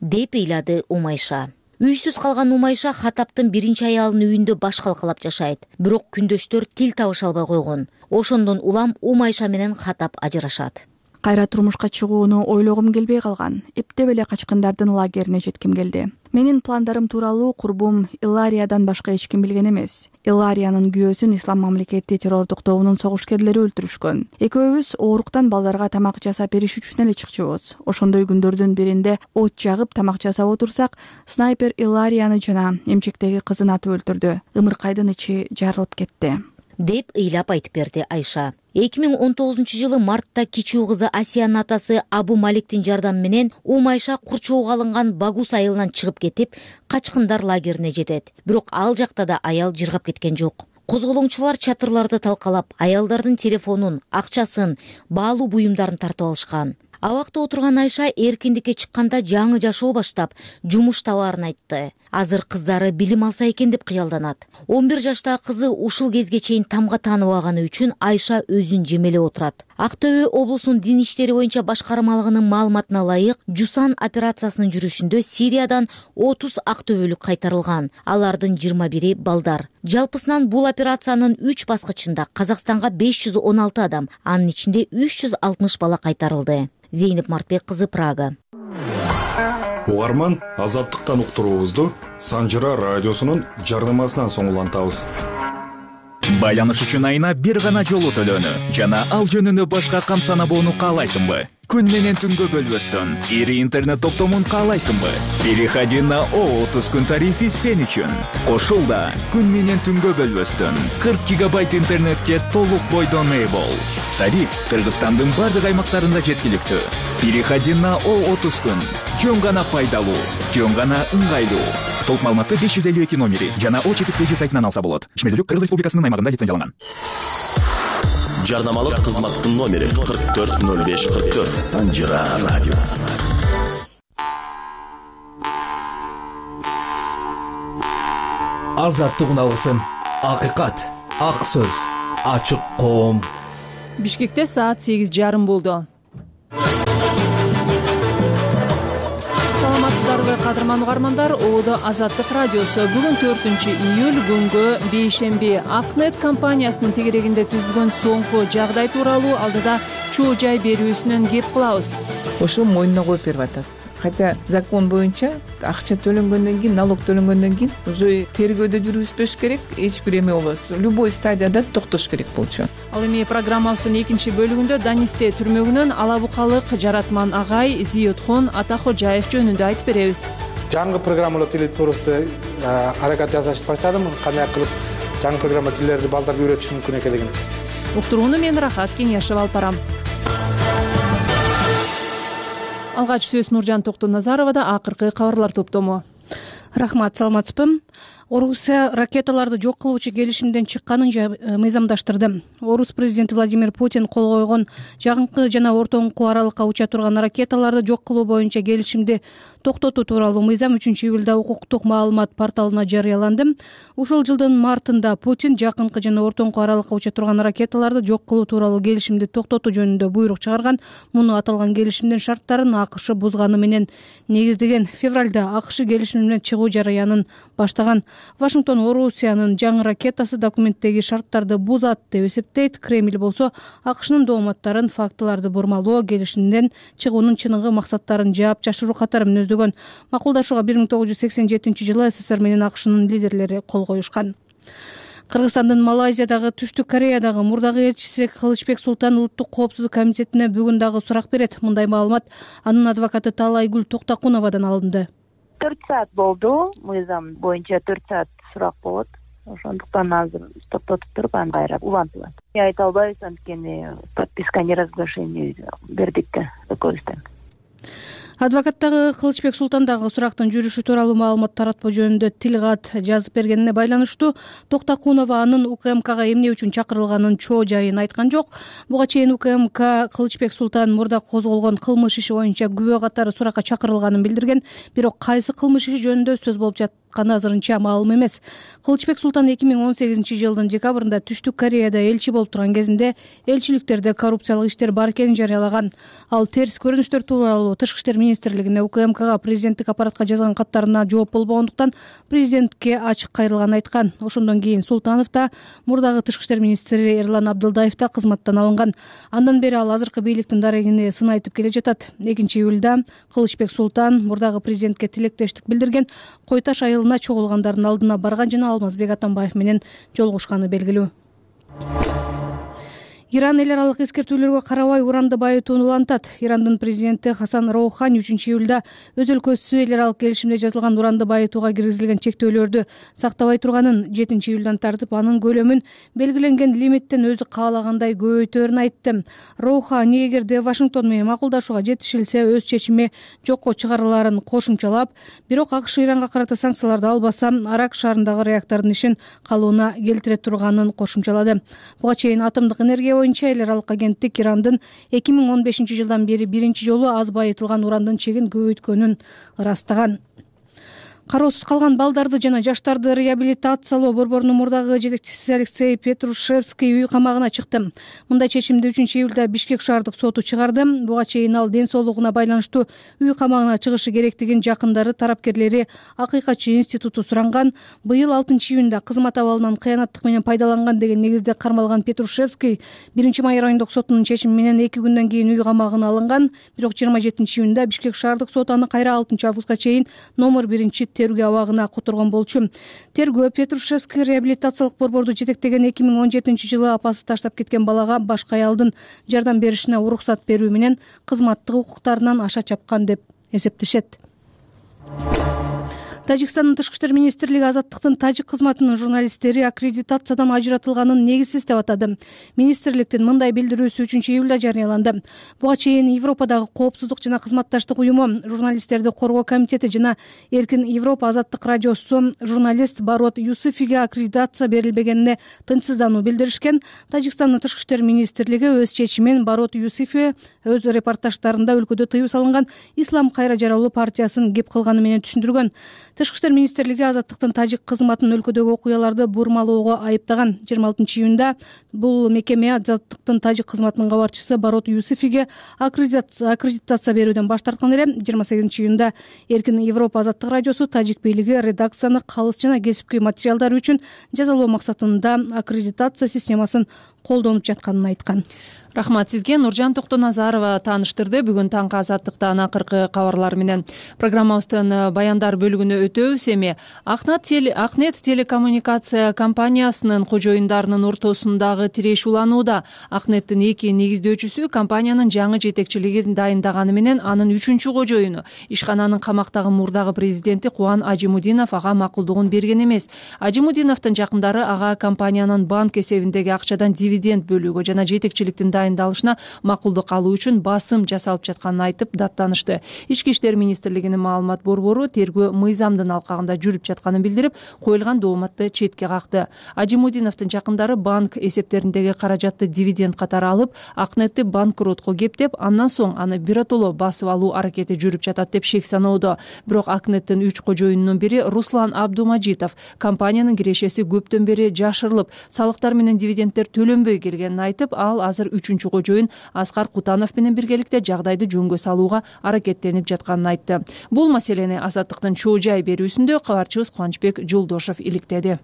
деп ыйлады Умайша. Үйсүз калган Умайша Хаттабтын биринчи аялынын үйүндө баш калкалап жашайт. Бирок күндөштөр тил табыша албай койгон. Ошондон улам Умайша менен Хаттаб ажырашат. Кайра турмушка чыгууну ойлогум келбей калган. Эптеп эле качкындардын лагерине жетким келди. Менин пландарым тууралуу курбум Илариядан башка эч ким билген эмес. Илариянын күйөөсүн Ислам мамлекети террордук тобунун согушкерлери өлтүрүшкөн. Экөөбүз ооруктан балдарга тамак жасап бериш үчүн эле чыкчубуз. Ошондой күндөрдүн биринде от жагып тамак жасап отурсак, снайпер Иларияны жана эмчектеги кызын атып өлтүрдү. Ымыркайдын ичи жарылып кетти, деп ыйлап айтып берди Айша. эки миң он тогузунчу жылы мартта кичүү кызы Асиянын атасы Абу Маликтин жардамы менен Умайша курчоого алынган Багус айылынан чыгып кетип, качкындар лагерине жетет. Бирок ал жакта да аял жыргап кеткен жок. Козголоңчулар чатырларды талкалап, аялдардын телефонун, акчасын, баалуу буюмдарын тартып алышкан. Абакта отурган Айша эркиндикке чыкканда жаңы жашоо баштап, жумуш табаарын айтты. Азыр кыздары билим алса экен деп кыялданат. он бир жаштагы кызы ушул кезге чейин тамга тааныбаганы үчүн Айша өзүн жемелеп отурат. Актөбө облусунун дин иштери боюнча башкармалыгынын маалыматына ылайык, Жусан операциясынын жүрүшүндө Сириядан отуз актөбөлүк кайтарылган. Алардын жыйырма бири балдар. Жалпысынан бул операциянын үч баскычында Казакстанга беш жүз он алты адам, анын ичинде үч жүз алтымыш бала кайтарылды. Зейнеп Мартбек кызы, Прага. Угарман, Азаттыктан уктуруубузду Санжыра радиосунун жарнамасынан соң улантабыз. Байланыш үчүн айына бир гана жолу төлөнү жана ал жөнүндө башка кам санабоону каалайсыңбы? Күн менен түнгө бөлбөстөн ири интернет топтомун каалайсыңбы? Переходи на о отуз күн тарифи сен үчүн. Кошул да күн менен түнгө бөлбөстөн кырк гигабайт интернетке толук бойдон ээ бол. Тариф Кыргызстандын бардык аймактарында жеткиликтүү. Переходи на о отуз күн. Жөн гана пайдалуу, жөн гана ыңгайлуу. Толук маалыматты беш жүз элүү эки номери жана о чети сайтынан алса болот. Ишмердүүлүк Кыргыз Республикасынын аймагында лицензияланган. Жарнамалык кызматтын номери кырк төрт ноль беш кырк төрт. Санжира радиосу. Азаттык алгысым, акыйкат, ак сөз, ачык коом. Бишкекте саат сегиз жарым болду. Саламатсыздарбы кадырман угармандар, Оодо Азаттык радиосу. Бүгүн төртүнчү июль күнгө бейшемби. Акнет компаниясынын тегерегинде түзүлгөн соңку жагдай тууралуу алдыда чоо жай берүүсүнөн кеп кылабыз. Ошо мойнуна коюп берип атат. Хотя закон боюнча акча төлөнгөндөн кийин, налог төлөнгөндөн кийин уже тергөөдө жүргүзбөш керек, эч бир эме болбосо. Любой стадияда токтош керек болчу. Ал эми программабыздын экинчи бөлүгүндө Данисте түрмөгүнөн алабукалык жаратман агай Зиётхон Атахожаев жөнүндө айтып беребиз. Жаңы программалуу тил туурасында аракет жасашты баштадым. Кандай кылып жаңы программа тилдерди балдарга үйрөтүш мүмкүн экенин. Уктурууну мен Рахат Кеңешев алып барам. Алгач сөз Нуржан Токтоназаровада акыркы кабарлар топтому. Рахмат, саламатсызбы? Орусия ракеталарды жок кылуучу келишимден чыкканын мыйзамдаштырды. Орус президенти Владимир Путин кол койгон жакынкы жана ортоңку аралыкка уча турган ракеталарды жок кылуу боюнча келишимди токтотуу тууралуу мыйзам үчүнчү июлда укуктук маалымат порталына жарыяланды. Ушул жылдын мартында Путин жакынкы жана ортоңку аралыкка уча турган ракеталарды жок кылуу тууралуу келишимди токтотуу жөнүндө буйрук чыгарган. Муну аталган келишимдин шарттарын АКШ бузганы менен негиздеген. Февралда АКШ келишим менен чыгуу жарыянын баштаган. Вашингтон Орусиянын жаңы ракетасы документтеги шарттарды бузат деп эсептейт. Кремль болсо АКШнын дооматтарын фактыларды бурмалоо, келишимден чыгуунун чыныгы максаттарын жаап жашыруу катары мүнөздөгөн. Макулдашууга бир миң тогуз жүз сексен жетинчи жылы СССР менен АКШнын лидерлери кол коюшкан. Кыргызстандын Малайзиядагы, Түштүк Кореядагы мурдагы элчиси Кылычбек Султан Улуттук коопсуздук комитетине бүгүн дагы сурак берет. Мындай маалымат анын адвокаты Таалайгүл Токтакуновадан алынды. төрт саат болду. Мыйзам боюнча төрт саат сурак болот. Ошондуктан азыр токтотуп туруп аны кайра улантылат. Айта албайбыз, анткени подписка о неразглашении бердик да экөөбүздөн. Адвокаттагы Кылычбек Султан дагы сурактын жүрүшү тууралуу маалымат таратпоо жөнүндө тил кат жазып бергенине байланыштуу Токтакунова анын УКМКга эмне үчүн чакырылганын чоо жайын айткан жок. Буга чейин УКМК Кылычбек Султан мурда козголгон кылмыш иши боюнча күбө катары суракка чакырылганын билдирген, бирок кайсы кылмыш иши жөнүндө сөз болуп жатканы азырынча маалым эмес. Кылычбек Султан эки миң он сегизинчи жылдын декабрында Түштүк Кореяда элчи болуп турган кезинде элчиликтерде коррупциялык иштер бар экенин жарыялаган. Ал терс көрүнүштөр тууралуу Тышкы иштер министрлигине УКМКга президенттик аппаратка жазган каттарына жооп болбогондуктан президентке ачык кайрылганын айткан. Ошондон кийин Султанов да, мурдагы Тышкы иштер министри Эрлан Абдылдаев да кызматтан алынган. Андан бери ал азыркы бийликтин дарегине сын айтып келе жатат. экинчи июлда Кылычбек Султан мурдагы президентке тилектештик билдирген, Кой Таш айылына чогулгандардын алдына барган жана Алмазбек Атамбаев менен жолугушканы белгилүү. Иран эл аралык эскертүүлөргө карабай уранды байытууну улантат. Ирандын президенти Хасан Роухани үчүнчү июлда өз өлкөсү эл аралык келишимде жазылган уранды байытууга киргизилген чектөөлөрдү сактабай турганын, жетинчи июлдан тартып анын көлөмүн белгиленген лимиттен өзү каалагандай көбөйтөөрүн айтты. Роухани эгерде Вашингтон менен макулдашууга жетишилсе өз чечими жокко чыгарылаарын кошумчалап, бирок АКШ Иранга карата санкцияларды албаса, Арак шаарындагы реактордун ишин калыбына келтире турганын кошумчалады. Буга чейин атомдук энергия боюнча эл аралык агенттик Ирандын эки миң он бешинчи жылдан бери биринчи жолу аз байытылган урандын чегин көбөйткөнүн ырастаган. Кароосуз калган балдарды жана жаштарды реабилитациялоо борборунун мурдагы жетекчиси Алексей Петрушевский үй камагына чыкты. Мындай чечимди үчүнчү июлда Бишкек шаардык соту чыгарды. Буга чейин ал ден соолугуна байланыштуу үй камагына чыгышы керектигин жакындары, тарапкерлери Акыйкатчы институту суранган. Быйыл алтынчы июнда кызмат абалынан кыянаттык менен пайдаланган деген негизде кармалган Петрушевский биринчи май райондук сотунун чечими менен эки күндөн кийин үй камагына алынган. Бирок жыйырма жетинчи июнда Бишкек шаардык соту аны кайра алтынчы августка чейин номер биринчи тергөө абагына которгон болчу. Тергөө Петрушевский реабилитациялык борборду жетектеген эки миң он жетинчи жылы апасы таштап кеткен балага башка аялдын жардам беришине уруксат берүү менен кызматтык укуктарынан аша чапкан деп эсептешет. Тажикстандын тышкы иштер министрлиги Азаттыктын тажик кызматынын журналисттери аккредитациядан ажыратылганын негизсиз деп атады. Министрликтин мындай билдирүүсү үчүнчү июлда жарыяланды. Буга чейин Европадагы коопсуздук жана кызматташтык уюму, журналисттерди коргоо комитети жана Эркин Европа азаттык радиосу журналист Барот Юсуфиге аккредитация берилбегенине тынчсыздануу билдиришкен. Тажикстандын тышкы иштер министрлиги өз чечимин Барот Юсуфи өз репортаждарында өлкөдө тыюу салынган Ислам кайра жаралуу партиясын кеп кылганы менен түшүндүргөн. Тышкы иштер министрлиги Азаттыктын тажик кызматын өлкөдөгү окуяларды бурмалоого айыптаган. жыйырма алтынчы июнда бул мекеме Азаттыктын тажик кызматынын кабарчысы Барот Юсуфиге аккредитация берүүдөн баш тарткан эле. жыйырма сегизинчи июнда Эркин Европа азаттык радиосу тажик бийлиги редакцияны калыс жана кесипкөй материалдары үчүн жазалоо максатында аккредитация системасын колдонуп жатканын айткан. Рахмат сизге. Нуржан Токтоназарова тааныштырды бүгүн таңкы Азаттыктан акыркы кабарлар менен. Программабыздын баяндар бөлүгүнө өтөбүз. Эми Акнет телекоммуникация компаниясынын кожоюндарынын ортосундагы тиреш уланууда. Акнеттин эки негиздөөчүсү компаниянын жаңы жетекчилигин дайындаганы менен анын үчүнчү кожоюну ишкананын камактагы мурдагы президенти Кубан Ажимудинов ага макулдугун берген эмес. Ажимудиновдун жакындары ага компаниянын банк эсебиндеги акчадан дивиденд бөлүүгө жана жетекчиликтин дайындалышына макулдук алуу үчүн басым жасалып жатканын айтып даттанышты. Ички иштер министрлигинин маалымат борбору тергөө мыйзамдын алкагында жүрүп жатканын билдирип, коюлган дооматты четке какты. Ажимудиновдун жакындары банк эсептериндеги каражатты дивиденд катары алып, Акнетти банкротко кептеп, андан соң аны биротоло басып алуу аракети жүрүп жатат деп шек саноодо. Бирок Акнеттин үч кожоюнунун бири Руслан Абдумажитов компаниянын кирешеси көптөн бери жашырылып, салыктар менен дивидендтер төлөнбөй келгенин айтып, ал азыр үчүнчү кожоюн Аскар Кутанов менен биргеликте жагдайды жөнгө салууга аракеттенип жатканын айтты. Бул маселени Азаттыктын чоо жай берүүсүндө кабарчыбыз Кубанычбек Жолдошов иликтеди.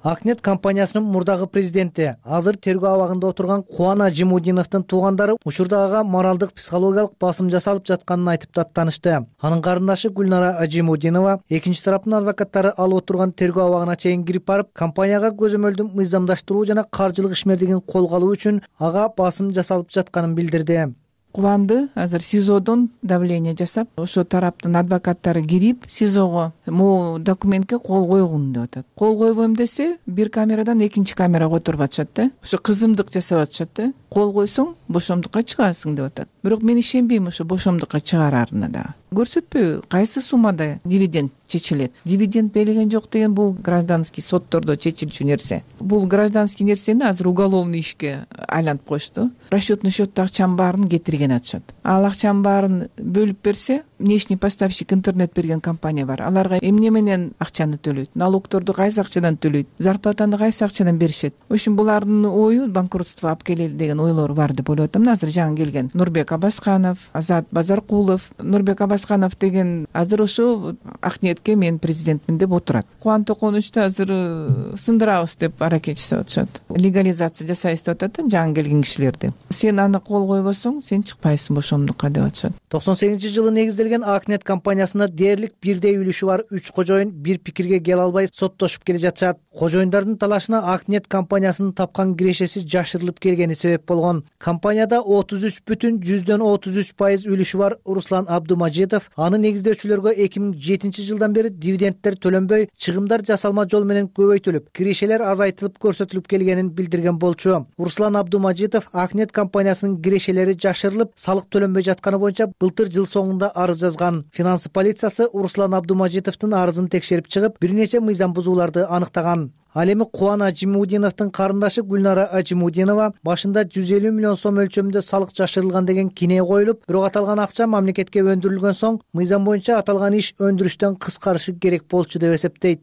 Акнет компаниясынын мурдагы президенти, азыр тергөө абагында отурган Кубан Ажимудиновдун туугандары учурда ага моралдык психологиялык басым жасалып жатканын айтып даттанышты. Анын карындашы Гүлнара Ажимудинова экинчи тараптын адвокаттары алып отурган тергөө абагына чейин кирип барып, компанияга көзөмөлдү мыйзамдаштыруу жана каржылык ишмердигин колго алуу үчүн ага басым жасалып жатканын билдирди. Кубанды азыр СИЗОдон давление жасап, ошо тараптын адвокаттары кирип, СИЗОго могу документке кол койгун деп атат. Кол койбойм десе, бир камерадан экинчи камерага отуруп атышат да. Ошо кызымдык жасап атышат да. Кол койсоң, бошомдукка чыгасың деп атат. Бирок мен ишенбейм ошо бошомдукка чыгарарына да. Көрсөтпөйбү, кайсы суммада дивиденд чечилет. Дивиденд берилген жок деген бул гражданский соттордо чечилчү нерсе. Бул гражданский нерсени азыр уголовный ишке айлантып коюшту. Расчетный счетто акчанын баарын кетирген атышат. Ал акчанын баарын бөлүп берсе, внешний поставщик интернет берген компания бар. Аларга эмне менен акчаны төлөйт? Налогторду кайсы акчадан төлөйт? Зарплатаны кайсы акчадан беришет? Ошон булардын ою банкротство алып келели деген ойлор бар деп ойлоп атам. Азыр жаңы келген Нурбек Абасканов, Азат Базаркулов, Нурбек Абасканов деген азыр ошо Акнетке мен президентмин деп отурат. Кубан Токонучту азыр сындырабыз деп аракет жасап атышат. Легализация жасайбыз деп атат жаңы келген кишилерди. Сен аны кол койбосоң, сен чыкпайсың бошомдукка деп атышат. токсон сегизинчи жылы негизделген Акнет компаниясында дээрлик бирдей үлүшү бар үч кожоюн бир пикирге келе албай соттошуп келе жатышат. Кожоюндардын талашына Акнет компаниясынын тапкан кирешеси жашырылып келгени себеп болгон. Компанияда отуз үч бүтүн жүздөн отуз үч пайыз үлүшү бар Руслан Абдумажитов аны негиздөөчүлөргө эки миң жетинчи жылдан бери дивидендтер төлөнбөй, чыгымдар жасалма жол менен көбөйтүлүп, кирешелер азайтылып көрсөтүлүп келгенин билдирген болчу. Руслан Абдумажитов Акнет компаниясынын кирешелери жашырылып, салык төлөнбөй жатканы боюнча былтыр жыл соңунда арыз жазган. Финансы полициясы Руслан Абдумажитовдун арызын текшерип чыгып, бир нече мыйзам бузууларды анықтаган. Ал эми Кубан Ажимудиновдун карындашы Гүлнара Ажимудинова башында жүз элүү миллион сом өлчөмүндө салык жашырылган деген кине коюлуп, бирок аталган акча мамлекетке өндүрүлгөн соң мыйзам боюнча аталган иш өндүрүштөн кыскарышы керек болчу деп эсептейт.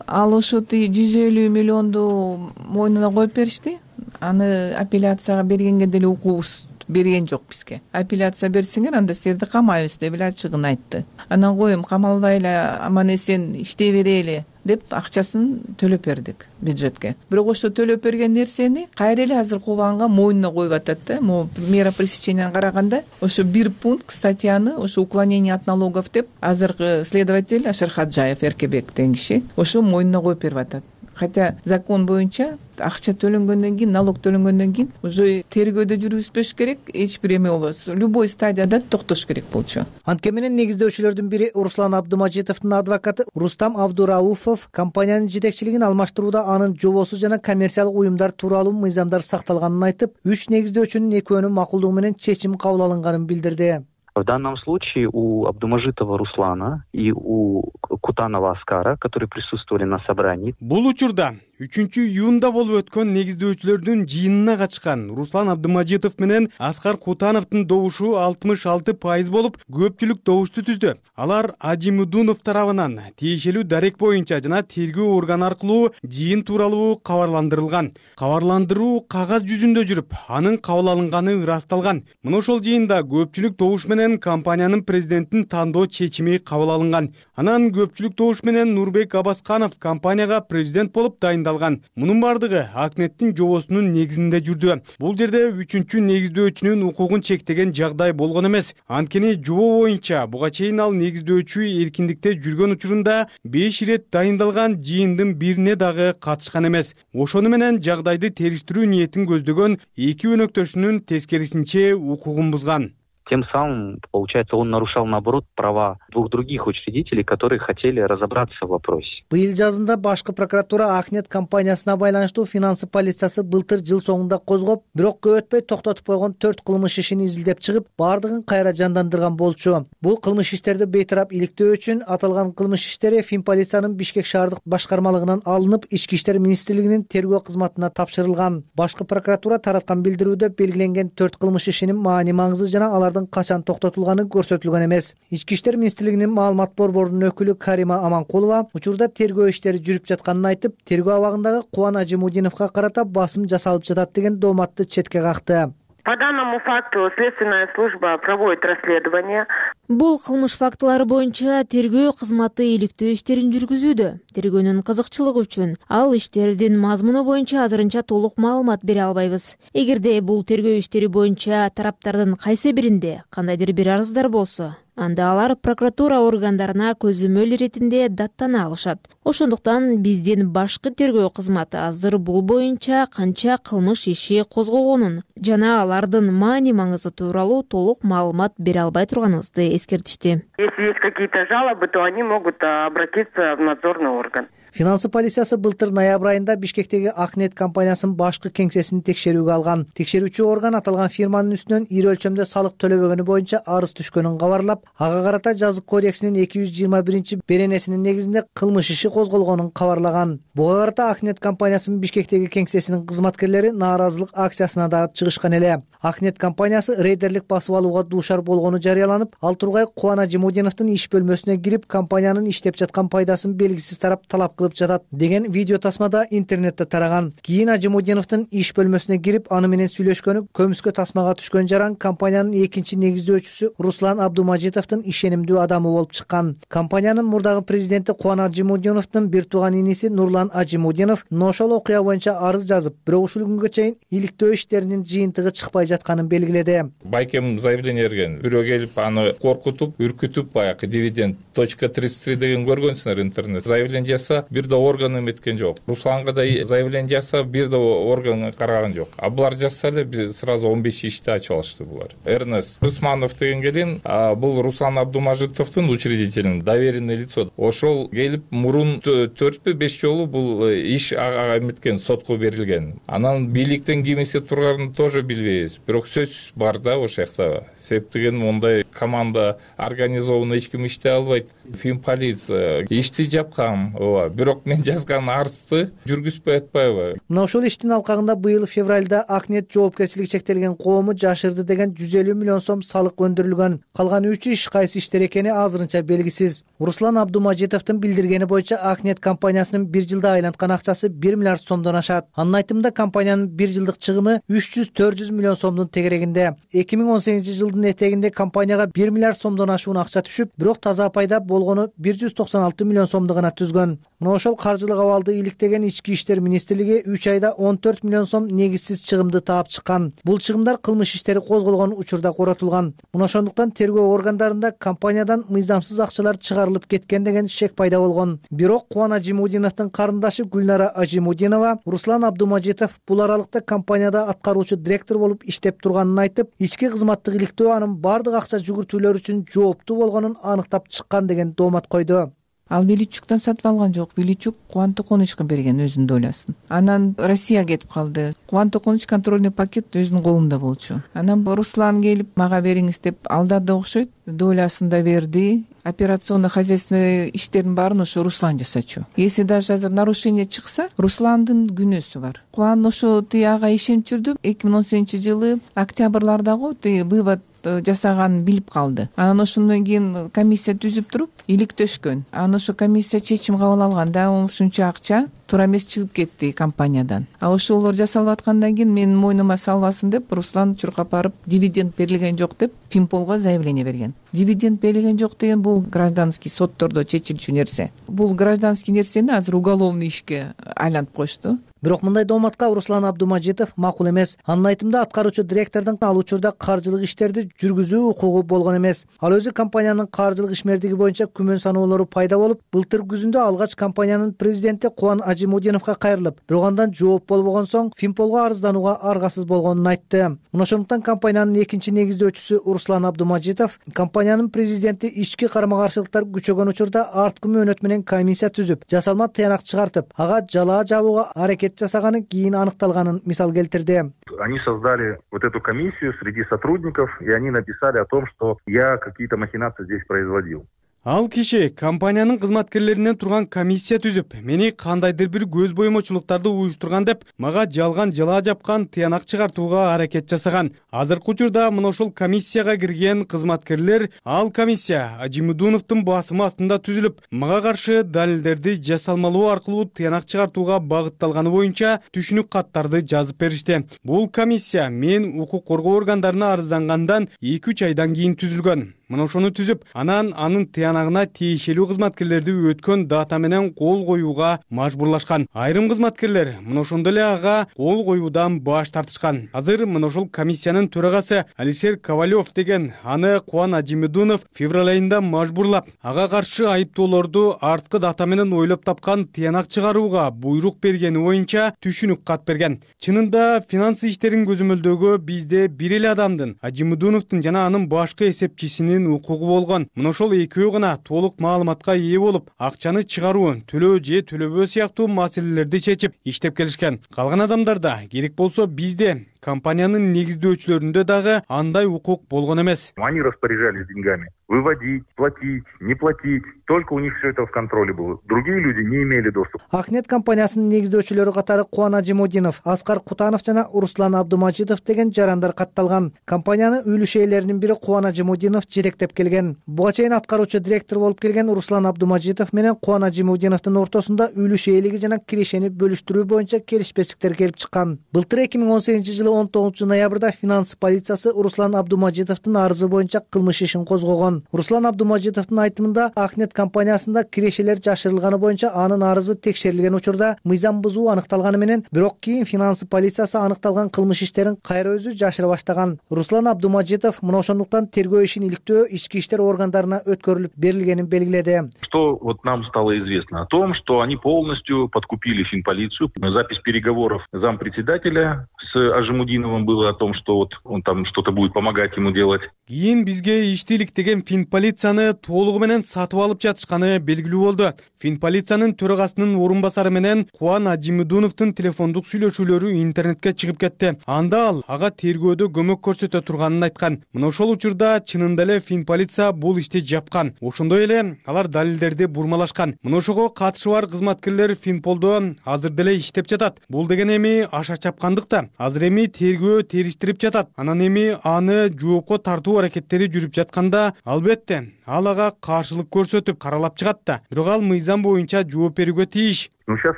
Ал ошо жүз элүү миллионду мойнуна коюп беришти. Аны апелляцияга бергенге деле укугубуз берген жок бизге. Апелляция берсеңер, анда силерди камайбыз деп эле ачыгын айтты. Анан коем камалбай эле аман эсен иштей берели деп акчасын төлөп бердик бюджетке. Бирок ошо төлөп берген нерсени кайра эле азыр кубанга мойнуна коюп атат да. Могу мера пресеченияны караганда ошо бир пункт статьяны ошо уклонение от налогов деп азыркы следователь Ашырхаджаев Эркебек деген киши ошо мойнуна коюп берип атат. Хотя закон боюнча акча төлөнгөндөн кийин, налог төлөнгөндөн кийин уже тергөөдө жүргүзбөш керек, эч бир эме болбос. Любой стадияда токтош керек болчу. Анткени менен негиздөөчүлөрдүн бири Руслан Абдымажитовдун адвокаты Рустам Абдурауфов компаниянын жетекчилигин алмаштырууда анын жобосу жана коммерциялык уюмдар тууралуу мыйзамдар сакталганын айтып, үч негиздөөчүнүн экөөнүн макулдугу менен чечим кабыл алынганын билдирди. В данном случае у Абдумажитова Руслана и у Кутанова Аскара, которые присутствовали на собрании. Бул учурда үчүнчү июнда болуп өткөн негиздөөчүлөрдүн жыйынына катышкан Руслан Абдымажитов менен Аскар Кутановдун добушу алтымыш алты пайыз болуп, көпчүлүк добушту түздү. Алар Ажимудунов тарабынан тиешелүү дарек боюнча жана тергөө органы аркылуу жыйын тууралуу кабарландырылган. Кабарландыруу кагаз жүзүндө жүрүп, анын кабыл алынганы ырасталган. Мына ошол жыйында көпчүлүк добуш менен компаниянын президентин тандоо чечими кабыл алынган. Анан көпчүлүк добуш менен Нурбек Абасканов компанияга президент болуп дайындалган. Мунун бардыгы Акнеттин жобосунун негизинде жүрдү. Бул жерде үчүнчү негиздөөчүнүн укугун чектеген жагдай болгон эмес. Анткени жобо боюнча буга чейин ал негиздөөчү эркиндикте жүргөн учурунда беш ирет дайындалган жыйындын бирине дагы катышкан эмес. Ошону менен жагдайды териштирүү ниетин көздөгөн эки өнөктөшүнүн тескерисинче укугун бузган. Тем самым, получается, он нарушал, наоборот, права двух других учредителей, которые хотели разобраться в вопросе. Быйыл жазында башкы прокуратура Акнет компаниясына байланыштуу финансы полициясы былтыр жыл соңунда козгоп, бирок көп өтпөй токтотуп койгон төрт кылмыш ишин изилдеп чыгып, бардыгын кайра жандандырган болчу. Бул кылмыш иштерди бейтарап иликтөө үчүн аталган кылмыш иштери Фин полициянын Бишкек шаардык башкармалыгынан алынып, Ички иштер министрлигинин тергөө кызматына тапшырылган. Башкы прокуратура тараткан билдирүүдө белгиленген төрт кылмыш ишинин маани маңызы жана алардын качан токтотулганы көрсөтүлгөн эмес. Ички иштер министрлигинин маалымат борборунун өкүлү Карима Аманкулова учурда тергөө иштери жүрүп жатканын айтып, тергөө абагындагы Кубан Ажимудиновго карата басым жасалып жатат деген дооматты четке какты. По данному факту следственная служба проводит расследование. Бул кылмыш фактылары боюнча тергөө кызматы иликтөө иштерин жүргүзүүдө. Тергөөнүн кызыкчылыгы үчүн ал иштердин мазмуну боюнча азырынча толук маалымат бере албайбыз. Эгерде бул тергөө иштери боюнча тараптардын кайсы биринде кандайдыр бир арыздар болсо, анда алар прокуратура органдарына көзөмөл иретинде даттана алышат. Ошондуктан биздин башкы тергөө кызматы азыр бул боюнча канча кылмыш иши козголгонун жана алардын маани маңызы тууралуу толук маалымат бере албай турганыбызды эскертишти. Если есть какие-то жалобы, то они могут обратиться в надзорный орган. Финансы полициясы былтыр ноябрь айында Бишкектеги Акнет компаниясынын башкы кеңсесин текшерүүгө алган. Текшерүүчү орган аталган фирманын үстүнөн ири өлчөмдө салык төлөбөгөнү боюнча арыз түшкөнүн кабарлап, ага карата жазык кодексинин эки жүз жыйырма биринчи беренесинин негизинде кылмыш иши козголгонун кабарлаган. Буга карата Акнет компаниясынын Бишкектеги кеңсесинин кызматкерлери нааразылык акциясына да чыгышкан эле. Акнет компаниясы рейдерлик басып алууга дуушар болгону жарыяланып, ал тургай Кубан Ажимудиновдун иш бөлмөсүнө кирип, компаниянын иштеп жаткан пайдасын белгисиз тарап талап кылып жатат деген видео тасмада интернетте тараган. Кийин Ажимудиновдун иш бөлмөсүнө кирип, аны менен сүйлөшкөнү көмүскө тасмага түшкөн жаран компаниянын экинчи негиздөөчүсү Руслан Абдумажитовдун ишенимдүү адамы болуп чыккан. Компаниянын мурдагы президенти Кубан Ажимудиновдун бир тууган иниси Нурлан Ажимудинов ошол окуя боюнча арыз жазып, бирок ушул күнгө чейин иликтөө иштеринин жыйынтыгы чыкпай жатканын белгиледи. Байкем заявление берген. Бирөө келип аны коркутуп, үркүтүп, баягы дивиденд точка тридцать три деген көргөнсүңөр интернет. Заявление жаса, бир да орган эметкен жок. Русланга да заявление жаса, бир да орган караган жок. А булар жазса эле биз сразу он беш ишти ачып алышты булар. Эрнест Рысманов деген келин, бул Руслан Абдумажитовдун учредителин, доверенное лицо. Ошол келип мурун төртпү беш жолу бул иш ага эметкен, сотко берилген. Анан бийликтен ким эсеп турганын тоже билбейбиз. Бирок сөз бар да ошол жакта. Себеп деген мондай команда организованно эч ким иштей албайт. Фин полиция ишти жапкан, ооба. бирок мен жазган арызды жүргүзбөй атпайбы. Мына ошол иштин алкагында быйыл февралда Акнет жоопкерчилиги чектелген коому жашырды деген жүз элүү миллион сом салык өндүрүлгөн. Калган үч иш кайсы иштер экени азырынча белгисиз. Руслан Абдумажитовдун билдиргени боюнча Акнет компаниясынын бир жылда айланткан акчасы бир миллиард сомдон ашат. Анын айтымында компаниянын бир жылдык чыгымы үч жүз төрт жүз миллион сомдун тегерегинде. эки миң он сегизинчи жылдын этегинде компанияга бир миллиард сомдон ашуун акча түшүп, бирок таза пайда болгону бир жүз токсон алты миллион сомду гана түзгөн. Мына ошол каржылык абалды иликтеген Ички иштер министрлиги үч айда он төрт миллион сом негизсиз чыгымды таап чыккан. Бул чыгымдар кылмыш иштери козголгон учурда коротулган. Мына ошондуктан тергөө органдарында компаниядан мыйзамсыз акчалар чыгарылып кеткен деген шек пайда болгон. Бирок Кубан Ажимудиновдун карындашы Гүлнара Ажимудинова Руслан Абдумажитов бул аралыкта компанияда аткаруучу директор болуп иштеп турганын айтып, ички кызматтык иликтөө анын бардык акча жүгүртүүлөр үчүн жооптуу болгонун аныктап чыккан деген доомат койду. Ал Величуктан сатып алган жок. Величук Кубан Токоновичке берген өзүнүн долясын. Анан Россияга кетип калды. Кубан Токонович контрольный пакет өзүнүн колунда болчу. Анан Руслан келип мага бериңиз деп алдады окшойт. Долясын да берди. Операционный хозяйственный иштердин баарын ошо Руслан жасачу. Если даже азыр нарушение чыкса, Русландын күнөөсү бар. Кубан ошо тияга ишенип жүрдү. эки миң он сегизинчи жылы октябрлардагы тиги вывод жасаганын билип калды. Анан ошондон кийин комиссия түзүп туруп иликтөшкөн. Анан ошо комиссия чечим кабыл алган да ушунча акча туура эмес чыгып кетти компаниядан. А ошолор жасалып аткандан кийин менин мойнума салбасын деп Руслан чуркап барып дивиденд берилген жок деп Финполго заявление берген. Дивиденд берилген жок деген бул гражданский соттордо чечилчү нерсе. Бул гражданский нерсени азыр уголовный ишке айлантып коюшту. Бирок мындай дооматка Руслан Абдумажитов макул эмес. Анын айтымында аткаруучу директордун ал учурда каржылык иштерди жүргүзүү укугу болгон эмес. Ал өзү компаниянын каржылык ишмердиги боюнча күмөн саноолору пайда болуп, былтыр күзүндө алгач компаниянын президенти Кубан Ажимудиновго кайрылып, бирок андан жооп болбогон соң Финполго арызданууга аргасыз болгонун айтты. Мына ошондуктан компаниянын экинчи негиздөөчүсү Руслан Абдумажитов компаниянын президенти ички карама-каршылыктар күчөгөн учурда арткы мөөнөт менен комиссия түзүп, жасалма тыянак чыгартып, ага жалаа жабууга аракет жасаганы кийин аныкталганын мисал келтирди. Они создали вот эту комиссию среди сотрудников, и они написали о том, что я какие-то махинации здесь производил. Ал киши компаниянын кызматкерлеринен турган комиссия түзүп, мени кандайдыр бир көз боемочулуктарды уюштурган деп, мага жалган жалаа жапкан тыянак чыгартууга аракет жасаган. Азыркы учурда мына ошол комиссияга кирген кызматкерлер, ал комиссия Ажимудиновдун басымы астында түзүлүп, мага каршы далилдерди жасалмалоо аркылуу тыянак чыгартууга багытталганы боюнча түшүнүк каттарды жазып беришти. Бул комиссия мен укук коргоо органдарына арыздангандан эки үч айдан кийин түзүлгөн. Мына ошону түзүп, анан анын тыянагына тиешелүү кызматкерлерди өткөн дата менен кол коюуга мажбурлашкан. Айрым кызматкерлер мына ошондой эле ага кол коюудан баш тартышкан. Азыр мына ошол комиссиянын төрагасы Алишер Ковалев деген аны Кубан Ажимудинов февраль айында мажбурлап, ага каршы айыптоолорду арткы дата менен ойлоп тапкан тыянак чыгарууга буйрук бергени боюнча түшүнүк кат берген. Чынында финансы иштерин көзөмөлдөөгө бизде бир эле адамдын, Ажимудиновдун жана анын башкы эсепчисинин укугу болгон. Мына ошол экөө гана толук маалыматка ээ болуп, акчаны чыгаруу, төлөө же төлөбөө сыяктуу маселелерди чечип иштеп келишкен. Калган адамдарда керек болсо бизде компаниянын негиздөөчүлөрүндө дагы андай укук болгон эмес. Они распоряжались деньгами. Выводить, платить, не платить. Только у них все это в контроле было. Другие люди не имели доступа. Акнет компаниясынын негиздөөчүлөрү катары Кубан Ажимудинов, Аскар Кутанов жана Руслан Абдумажитов деген жарандар катталган. Компаниянын үлүш ээлеринин бири Кубан Ажимудинов жетектеп келген. Буга чейин аткаруучу директор болуп келген Руслан Абдумажитов менен Кубан Ажимудиновдун ортосунда үлүш ээлиги жана кирешени бөлүштүрүү боюнча келишпестиктер келип чыккан. Былтыр эки миң он сегизинчи жылы он тогузунчу ноябрда финанс полициясы Руслан Абдумажитовдун арызы боюнча кылмыш ишин козгогон. Руслан Абдумажитовдун айтымында Акнет компаниясында кирешелер жашырылганы боюнча анын арызы текшерилген учурда мыйзам бузуу аныкталганы менен, бирок кийин финанс полициясы аныкталган кылмыш иштерин кайра өзү жашыра баштаган. Руслан Абдумажитов мына ошондуктан тергөө ишин иликтөө ички иштер органдарына өткөрүлүп берилгенин белгиледи. Что вот нам стало известно о том, что они полностью подкупили финполицию. Запись переговоров зампредседателя с Ажимудиновым Аджимудиновым было о том, что вот он там что-то будет помогать ему делать. Кийин бизге иштейлик деген Финполицияны толугу менен сатып алып жатышканы белгилүү болду. Финполициянын төрагасынын орун басары менен Кубан Аджимудиновдун телефондук сүйлөшүүлөрү интернетке чыгып кетти. Анда ал ага тергөөдө көмөк көрсөтө турганын айткан. Мына ошол учурда чынында эле Финполиция бул ишти жапкан. Ошондой эле алар далилдерди бурмалашкан. Мына ошого катышы бар кызматкерлер Финполдо азыр деле иштеп жатат. Бул деген эми аша чапкандык да. Азыр эми тергөө териштирип жатат. Анан эми аны жоопко тартуу аракеттери жүрүп жатканда, албетте ал ага каршылык көрсөтүп каралап чыгат да. Бирок ал мыйзам боюнча жооп берүүгө тийиш. Ну, сейчас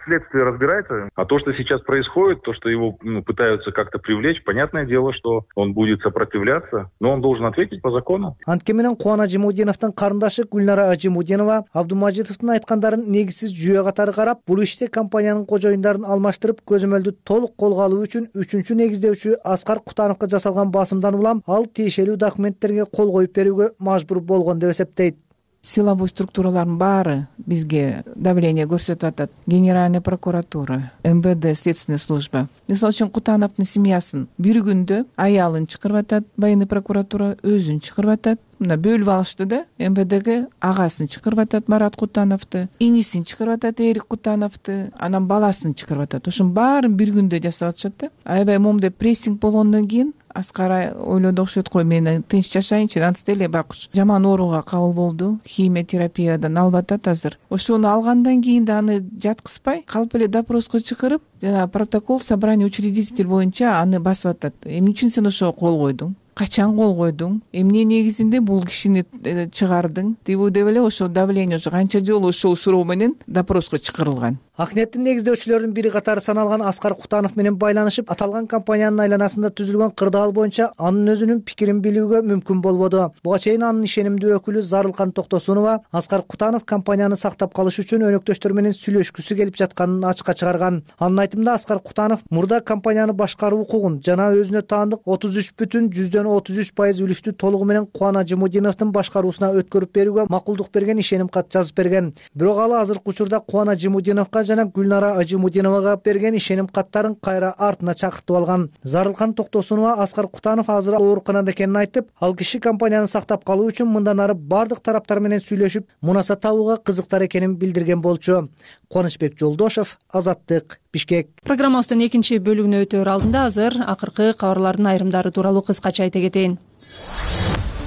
следствие разбирается. А то, что сейчас происходит, то, что его ну, пытаются как-то привлечь, понятное дело, что он будет сопротивляться, но он должен ответить по закону. Антке менен Кубан Аджимудиновдун карындашы Гүлнара Аджимудинова Абдумажитовдун айткандарын негизсиз жүйө катары карап, бул иште компаниянын кожоюндарын алмаштырып, көзөмөлдү толук колго алуу үчүн үчүнчү негиздөөчү Аскар Кутановго жасалган басымдан улам ал тиешелүү документтерге кол коюп берүүгө мажбур болгон деп эсептейт. Силовой структуралардын баары бизге давление көрсөтүп атат. Генеральная прокуратура, эм вэ дэ, следственная служба. Мисалы үчүн Кутановдун семьясын бир күндө аялын чакырып атат, военный прокуратура өзүн чакырып атат. Мына бөлүп алышты да, эм вэ дээге агасын чакырып атат, Марат Кутановду, инисин чакырып атат, Эрик Кутановду, анан баласын чакырып атат. Ошонун баарын бир күндө жасап атышат да. Аябай момундай прессинг болгондон кийин Аскар ойлоду окшойт го, мен тынч жашайынчы, анткы деле байкуш жаман ооруга кабыл болду, химиотерапиядан алып атат азыр. Ошону алгандан кийин да аны жаткызбай, калп эле допроско чакырып, жана протокол собрание учредитель боюнча аны басып атат. Эмне үчүн сен ошого кол койдуң? Качан кол койдуң? Эмне негизинде бул кишини чыгардың? Деп деп эле ошо давление ошо канча жолу ошол суроо менен допроско чакырылган. Акнеттин негиздөөчүлөрүнүн бири катары саналган Аскар Кутанов менен байланышып, аталган компаниянын айланасында түзүлгөн кырдаал боюнча анын өзүнүн пикирин билүүгө мүмкүн болбоду. Буга чейин анын ишенимдүү өкүлү Зарылкан Токтосунова Аскар Кутанов компанияны сактап калыш үчүн өнөктөштөр менен сүйлөшкүсү келип жатканын ачыкка чыгарган. Анын айтымында Аскар Кутанов мурда компанияны башкаруу укугун жана өзүнө таандык отуз үч бүтүн жүздөн отуз үч пайыз үлүштү толугу менен Кубан Аджимудиновдун башкаруусуна өткөрүп берүүгө макулдук берген ишеним кат жазып берген. Бирок ал азыркы учурда Кубан Аджимудиновго жана Гүлнара Аджимудиновага берген ишеним каттарын кайра артына чакыртып алган. Зарылкан Токтосунова Аскар Кутанов азыр ооруканада экенин айтып, ал киши компанияны сактап калуу үчүн мындан ары бардык тараптар менен сүйлөшүп, мунаса табууга кызыктар экенин билдирген болчу. Кубанычбек Жолдошев, Азаттык, Бишкек. Программабыздын экинчи бөлүгүнө өтөөр алдында азыр акыркы кабарлардын айрымдары тууралуу кыскача айта кетейин.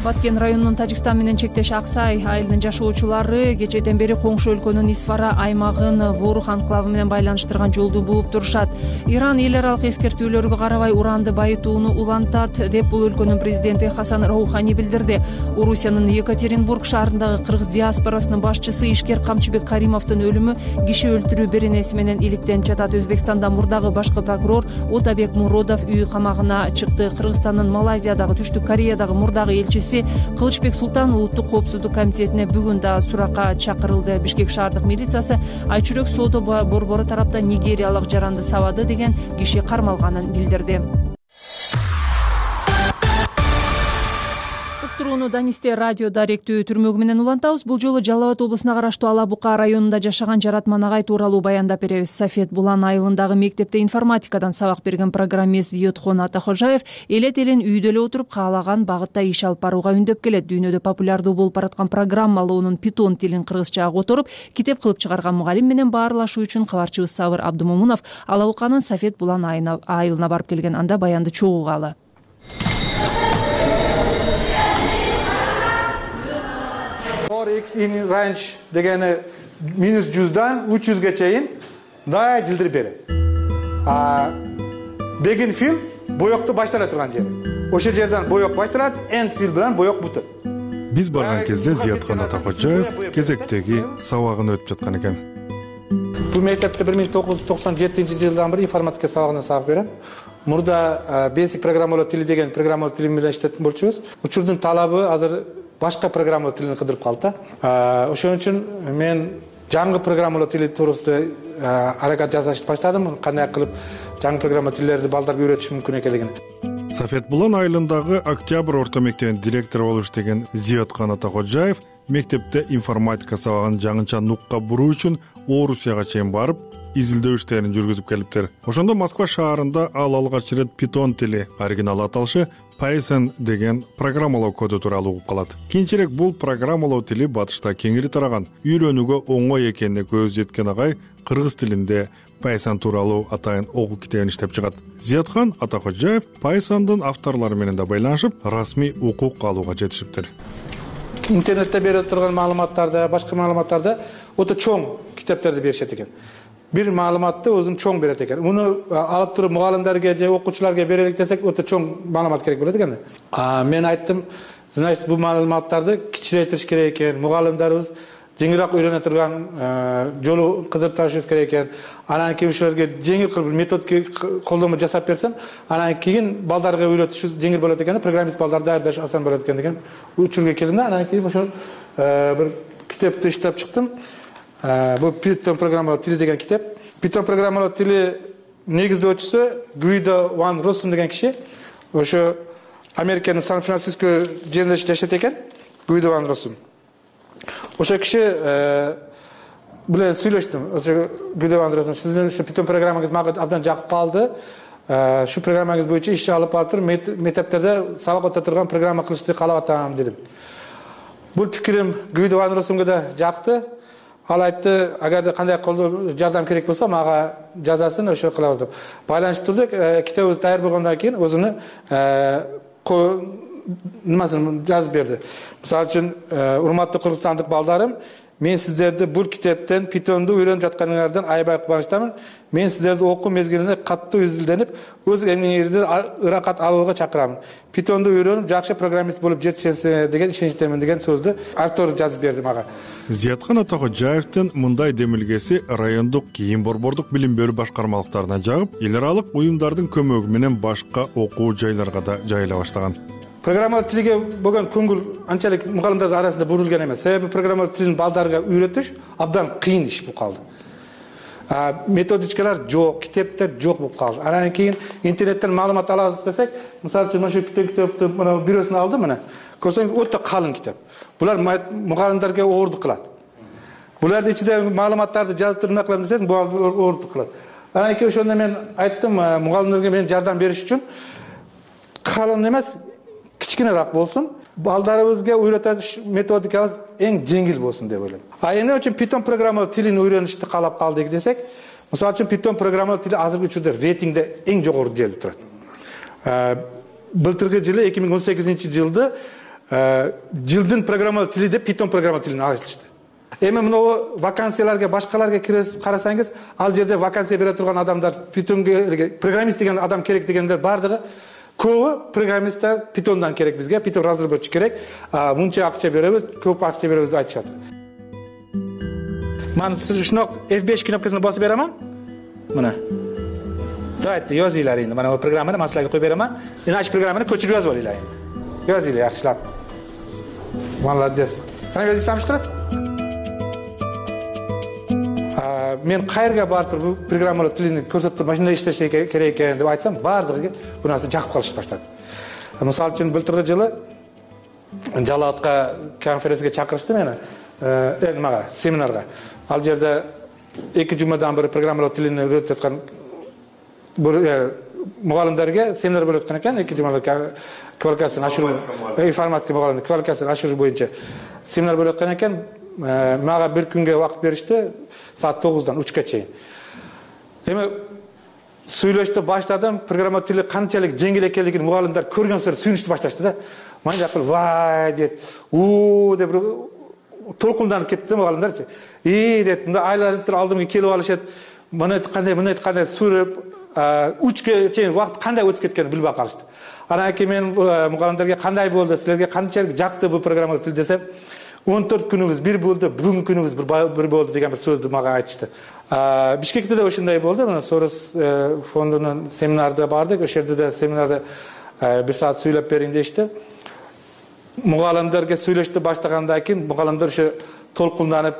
Баткен районунун Тажикстан менен чектеш Аксай айылынын жашоочулары кечеден бери коңшу өлкөнүн Исфара аймагын Ворух анклавы менен байланыштырган жолду бууп турушат. Иран эл аралык эскертүүлөргө карабай уранды байытууну улантат деп бул өлкөнүн президенти Хасан Роухани билдирди. Орусиянын Екатеринбург шаарындагы кыргыз диаспорасынын башчысы Ишкер Камчыбек Каримовдун өлүмү киши өлтүрүү беренеси менен иликтенип жатат. Өзбекстанда мурдагы башкы прокурор Отабек Муродов үй камагына чыкты. Кыргызстандын Малайзиядагы, Түштүк Кореядагы мурдагы элчиси Кылычбек Султан улуттук коопсуздук комитетине бүгүн да суракка чакырылды. Бишкек шаардык милициясы Айчүрөк соода борбору тараптан нигериялык жаранды сабады деген киши кармалганын билдирди. Уктурууну Данисте радио даректүү түрмөгү менен улантабыз. Бул жолу Жалал Абад облусуна караштуу Ала Бука районунда жашаган Жаратман агай тууралуу баяндап беребиз. Сафет Булан айылындагы мектепте информатикадан сабак берген программист Зиётхон Атахожаев элет элен үйдө эле отуруп каалаган багытта иш алып барууга үндөп келет. Дүйнөдө популярдуу болуп бараткан программалоонун Python тилин кыргызчага которуп, китеп кылып чыгарган мугалим менен баарлашуу үчүн кабарчыбыз Сабыр Абдымомунов Ала Буканын Сафет Булан айылына барып келген. Анда баянды чогуугалы. X in range дегени минус жүздөн үч жүзгө чейин дайа жылдыр берет. А begin fill боёкту баштала турган жер. Ошол жерден боёк башталат, end fill менен боёк бутат. Биз барган кезде Зиятхан Атахожаев кезектеги сабагын өтүп жаткан экен. Бул мектепте бир миң тогуз жүз токсон жетинчи жылдан бери информатика сабагына сабак берем. Мурда basic программалоо тили деген программалоо тили менен иштеткен болчубуз. Учурдун талабы азыр башка программалоо тилин кыдырып калды. Ошон үчүн мен жаңы программалоо тили туурасында аракет жасашты баштадым. Кандай кылып жаңы программалоо тилдерди балдарга үйрөтүш мүмкүн экенлигин. Сафет Булан айылындагы Октябрь орто мектебинин директору болуп иштеген Зиятхан Атахожаев мектепте информатика сабагын жаңыча нукка буруу үчүн Орусияга чейин барып, изилдөө иштерин жүргүзүп келиптир. Ошондо Москва шаарында ал алгач ирет Python тили, оригинал аталышы Python деген программалоо коду тууралуу угуп калат. Кийинчерээк бул программалоо тили батышта кеңири тараган, үйрөнүүгө оңой экенине көз жеткен агай кыргыз тилинде Python тууралуу атайын окуу китебин иштеп чыгат. Зиятхан Атакожаев Python'дун авторлору менен да байланышып, расмий укук алууга жетишиптир. Интернетте берип турган маалыматтарды, башка маалыматтарды өтө чоң китептерди беришет экен. Бир маалыматты өзүн чоң берет экен. Муну алып туруп мугалимдерге же окуучуларга берелик десек, өтө чоң маалымат керек болот экен. А мен айттым, значит, бул маалыматтарды кичирейтиш керек экен. Мугалимдерибиз жеңилирээк үйрөнө турган жолу кызып табышыбыз керек экен. Анан кийин ушуларга жеңил кылып методика колдонмо жасап берсем, анан кийин балдарга үйрөтүш жеңил болот экен, программист балдар даярдаш асан болот экен деген учурга келдим да. Анан кийин ошол бир китепти иштеп чыктым. Бул Python программалоо тили деген китеп. Python программалоо тили негиздөөчүсү Гуидо ван Россум деген киши. Ошо Американын Сан-Франциско жеринде жашайт экен. Гуидо ван Россум. Ошо киши биле сүйлөштүм. Ошо Гуидо ван Россум, сиздин Python программаңыз мага абдан жакып калды. Шу программаңыз боюнча иш алып атыр, мектептерде сабак өтө турган программа кылышты каалап атам дедим. Бул пикирим Гуидо ван Россумга да жакты. Ал айтты, агар кандай колдоо жардам керек болсо мага жазасын, ошо кылабыз деп. Байланышып турдук. Китебибиз даяр болгондон кийин өзүнүн нимасын жазып берди. Мисалы үчүн, урматтуу кыргызстандык балдарым, мен сиздерди бул китептен Python'ду үйрөнүп жатканыңардан аябай кубанычтамын. Мен сиздерди окуу мезгилинде катуу изилденип, өз эмгегиңерди ыракат алууга чакырамын. Python'ду үйрөнүп, жакшы программист болуп жетишесиңер деген ишеничтемин деген сөздү автор жазып берди мага. Зиятхан Атакожаевдин мындай демилгеси райондук кийин борбордук билим берүү башкармалыктарына жагып, эл аралык уюмдардын көмөгү менен башка окуу жайларга да жайыла баштаган. Программалоо тилге болгон көңүл анчалык мугалимдердин арасында бурулган эмес. Себеби программалоо тилин балдарга үйрөтүш абдан кыйын иш болуп калды. Методичкалар жок, китептер жок болуп калды. Анан кийин интернеттен маалымат алабыз десек, мисалы үчүн ошо китепти мына бирөөсүн алдым мына. Көрсөңүз өтө калың китеп. Булар мугалимдерге оордук кылат. Буларды ичинде маалыматтарды жазып туруп эмне кылам десеңиз, бул оордук кылат. Анан кийин ошондо мен айттым, мугалимдерге мен жардам бериш үчүн калың эмес, кичкенераак болсун. Балдарыбызга үйрөтөш методикабыз эң жеңил болсун деп ойлойм. А эмне үчүн Python программалоо тилин үйрөнүштү каалап калдык десек, мисалы үчүн Python программалоо тили азыркы учурда рейтингде эң жогору жерде турат. Былтыркы жылы эки миң он сегизинчи жылды жылдын программалоо тили деп Python программалоо тилин алышты. Эми мына вакансияларга, башкаларга кирип карасаңыз, ал жерде вакансия бере турган адамдар, Pythonге программист деген адам керек дегендер бардыгы көбү программисттер Python'дан керек бизге, Python разработчик керек, мынча акча беребиз, көп акча беребиз деп айтышат. Мен ушундой эф беш кнопкасын басып беремин. Мына. Давайте жазылар энди. Мына программаны мен силерге коюп беремин. Иначе программаны көчүрүп жазып алайлар энди. Жазылар жакшылап. Молодец. Сен жазсаңыз кырып. Мен кайерге барып туруп программалоо тилин көрсөтүп, машина иштеш керек экен деп айтсам, бардыгы бул нерсе жакып калышып баштады. Мисалы үчүн былтыркы жылы Жалаатка конференцияга чакырышты мени, э, мага семинарга. Ал жерде эки жумадан бери программалоо тилин үйрөтүп аткан мугалимдерге семинар болуп аткан экен, эки жумада квалификацияны ашыруу, информатика мугалимдер квалификацияны ашыруу боюнча семинар болуп аткан экен. Мага бир күнгө убакыт беришти, саат тогуздан үчкө чейин. Эми сүйлөштү баштадым, программа тили канчалык жеңил экенлигин мугалимдер көргөн сыйры сүйүнүштү башташты да. Мен жакыл вай дейт, у деп толкунданып кетти мугалимдерчи. И дейт, мында айланып туруп алдымга келип алышат. Мына кандай, мына кандай сүрүп, үчкө чейин убакыт кандай өтүп кеткенин билбей калышты. Анан кийин мен мугалимдерге кандай болду, силерге канчалык жакты бул программа тил десем, он төрт күнүбүз бир болду, бүгүнкү күнүбүз бир болду деген бир сөздү мага айтышты. Бишкекте да ошондой болду. Мына Сорос фондунун семинарына бардык. Ошол жерде да семинарда бир саат сүйлөп бериң дешти. Мугалимдерге сүйлөштү баштагандан кийин мугалимдер ошо толкунданып,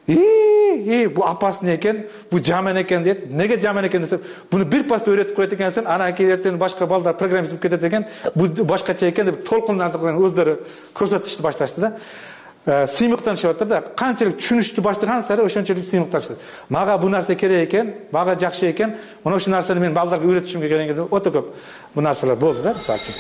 "И, бу опасно экен, бу жаман экен" дейт. Неге жаман экен десем, буну бир паста үйрөтүп коет экенсиң, анан кийин эртең башка балдар программист болуп кетет экен, бу башкача экен деп толкунданып өздөрү көрсөтүштү башташты да. сыймыктан ишеп атат да. Канчалык түшүнүштү баштаган сары ошончолук сыймыктар ишет. Мага бул нерсе керек экен, мага жакшы экен, мына ушул нерсени мен балдарга үйрөтүшүм керек экен деп өтө көп бул нерселер болду да, мисалы үчүн.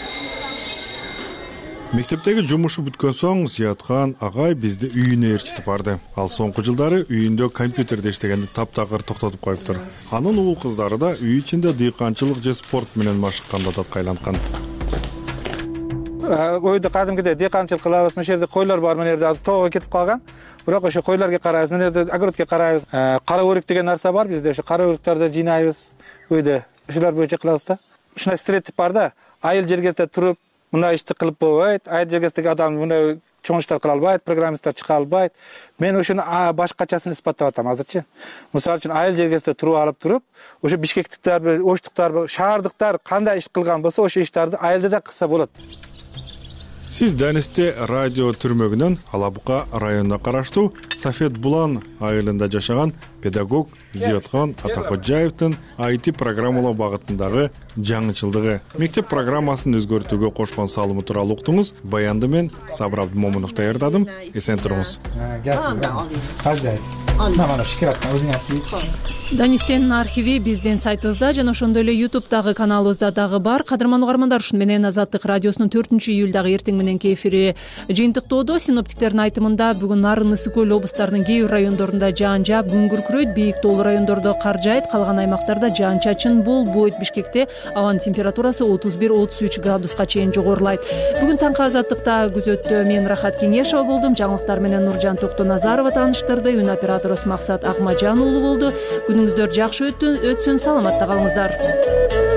Мектептеги жумушу бүткөн соң Зияткан агай бизди үйүнө ээрчитип барды. Ал соңку жылдары үйүндө компьютерде иштегенди таптакыр токтотуп коюптур. Анын уул кыздары да үй ичинде дыйканчылык же спорт менен машыкканда да кайланткан. Ойда кадимкидей дыйканчылык кылабыз, мына жерде койлор бар, мына жерде азыр тоого кетип калган. Бирок ошо койлорго карайбыз, мына жерде огородко карайбыз. Кара өрүк деген нерсе бар бизде, ошо кара өрүктөрдү жыйнайбыз. Үйдө ушулар боюнча кылабыз да. Ушундай стереотип бар да. Айыл жергесте туруп мындай ишти кылып болбойт, айыл жергесиндеги адам мындай чоң иштер кыла албайт, программисттер чыга албайт. Мен ошону башкачасын испаттап атам азырчы. Мисалы үчүн айыл жергесинде туруп алып туруп, ошо бишкектиктер, оштуктар, шаардыктар кандай иш кылган болсо, ошо иштерди айылда да кылса болот. Сиз Данисте радио түрмөгүнөн Алабука районуна караштуу Сафет Булан айылында жашаган педагог Зияткан Атакожаевдин ай ти программалоо багытындагы жаңычылдыгы, мектеп программасын өзгөртүүгө кошкон салымы тууралуу уктуңуз. Баянды мен Сабыр Абдымомунов даярдадым. Эсен туруңуз. Данистенин архиви биздин сайтыбызда жана ошондой эле ютубтагы каналыбызда дагы бар. Кадырман угармандар, ушун менен Азаттык радиосунун төртүнчү июлдагы эртең мененки эфири жыйынтыктоодо. Синоптиктердин айтымында бүгүн Нарын, Ысык көл облустарынын кээ бир райондорунда жаан жаап, күн күркүрөйт, бийик тоолуу райондордо кар жаайт, калган аймактарда жаан-чачын болбойт. Бишкекте абанын температурасы отуз бир отуз үч градуска чейин жогорулайт. Бүгүн таңкы Азаттыкта күзөттө мен Рахат Кеңешова болдум. Жаңылыктар менен Нуржан Токтоназарова тааныштырды. Үн операторубуз Максат Акмажан уулу болду. Күнүңүздөр жакшы өтсүн, саламатта калыңыздар.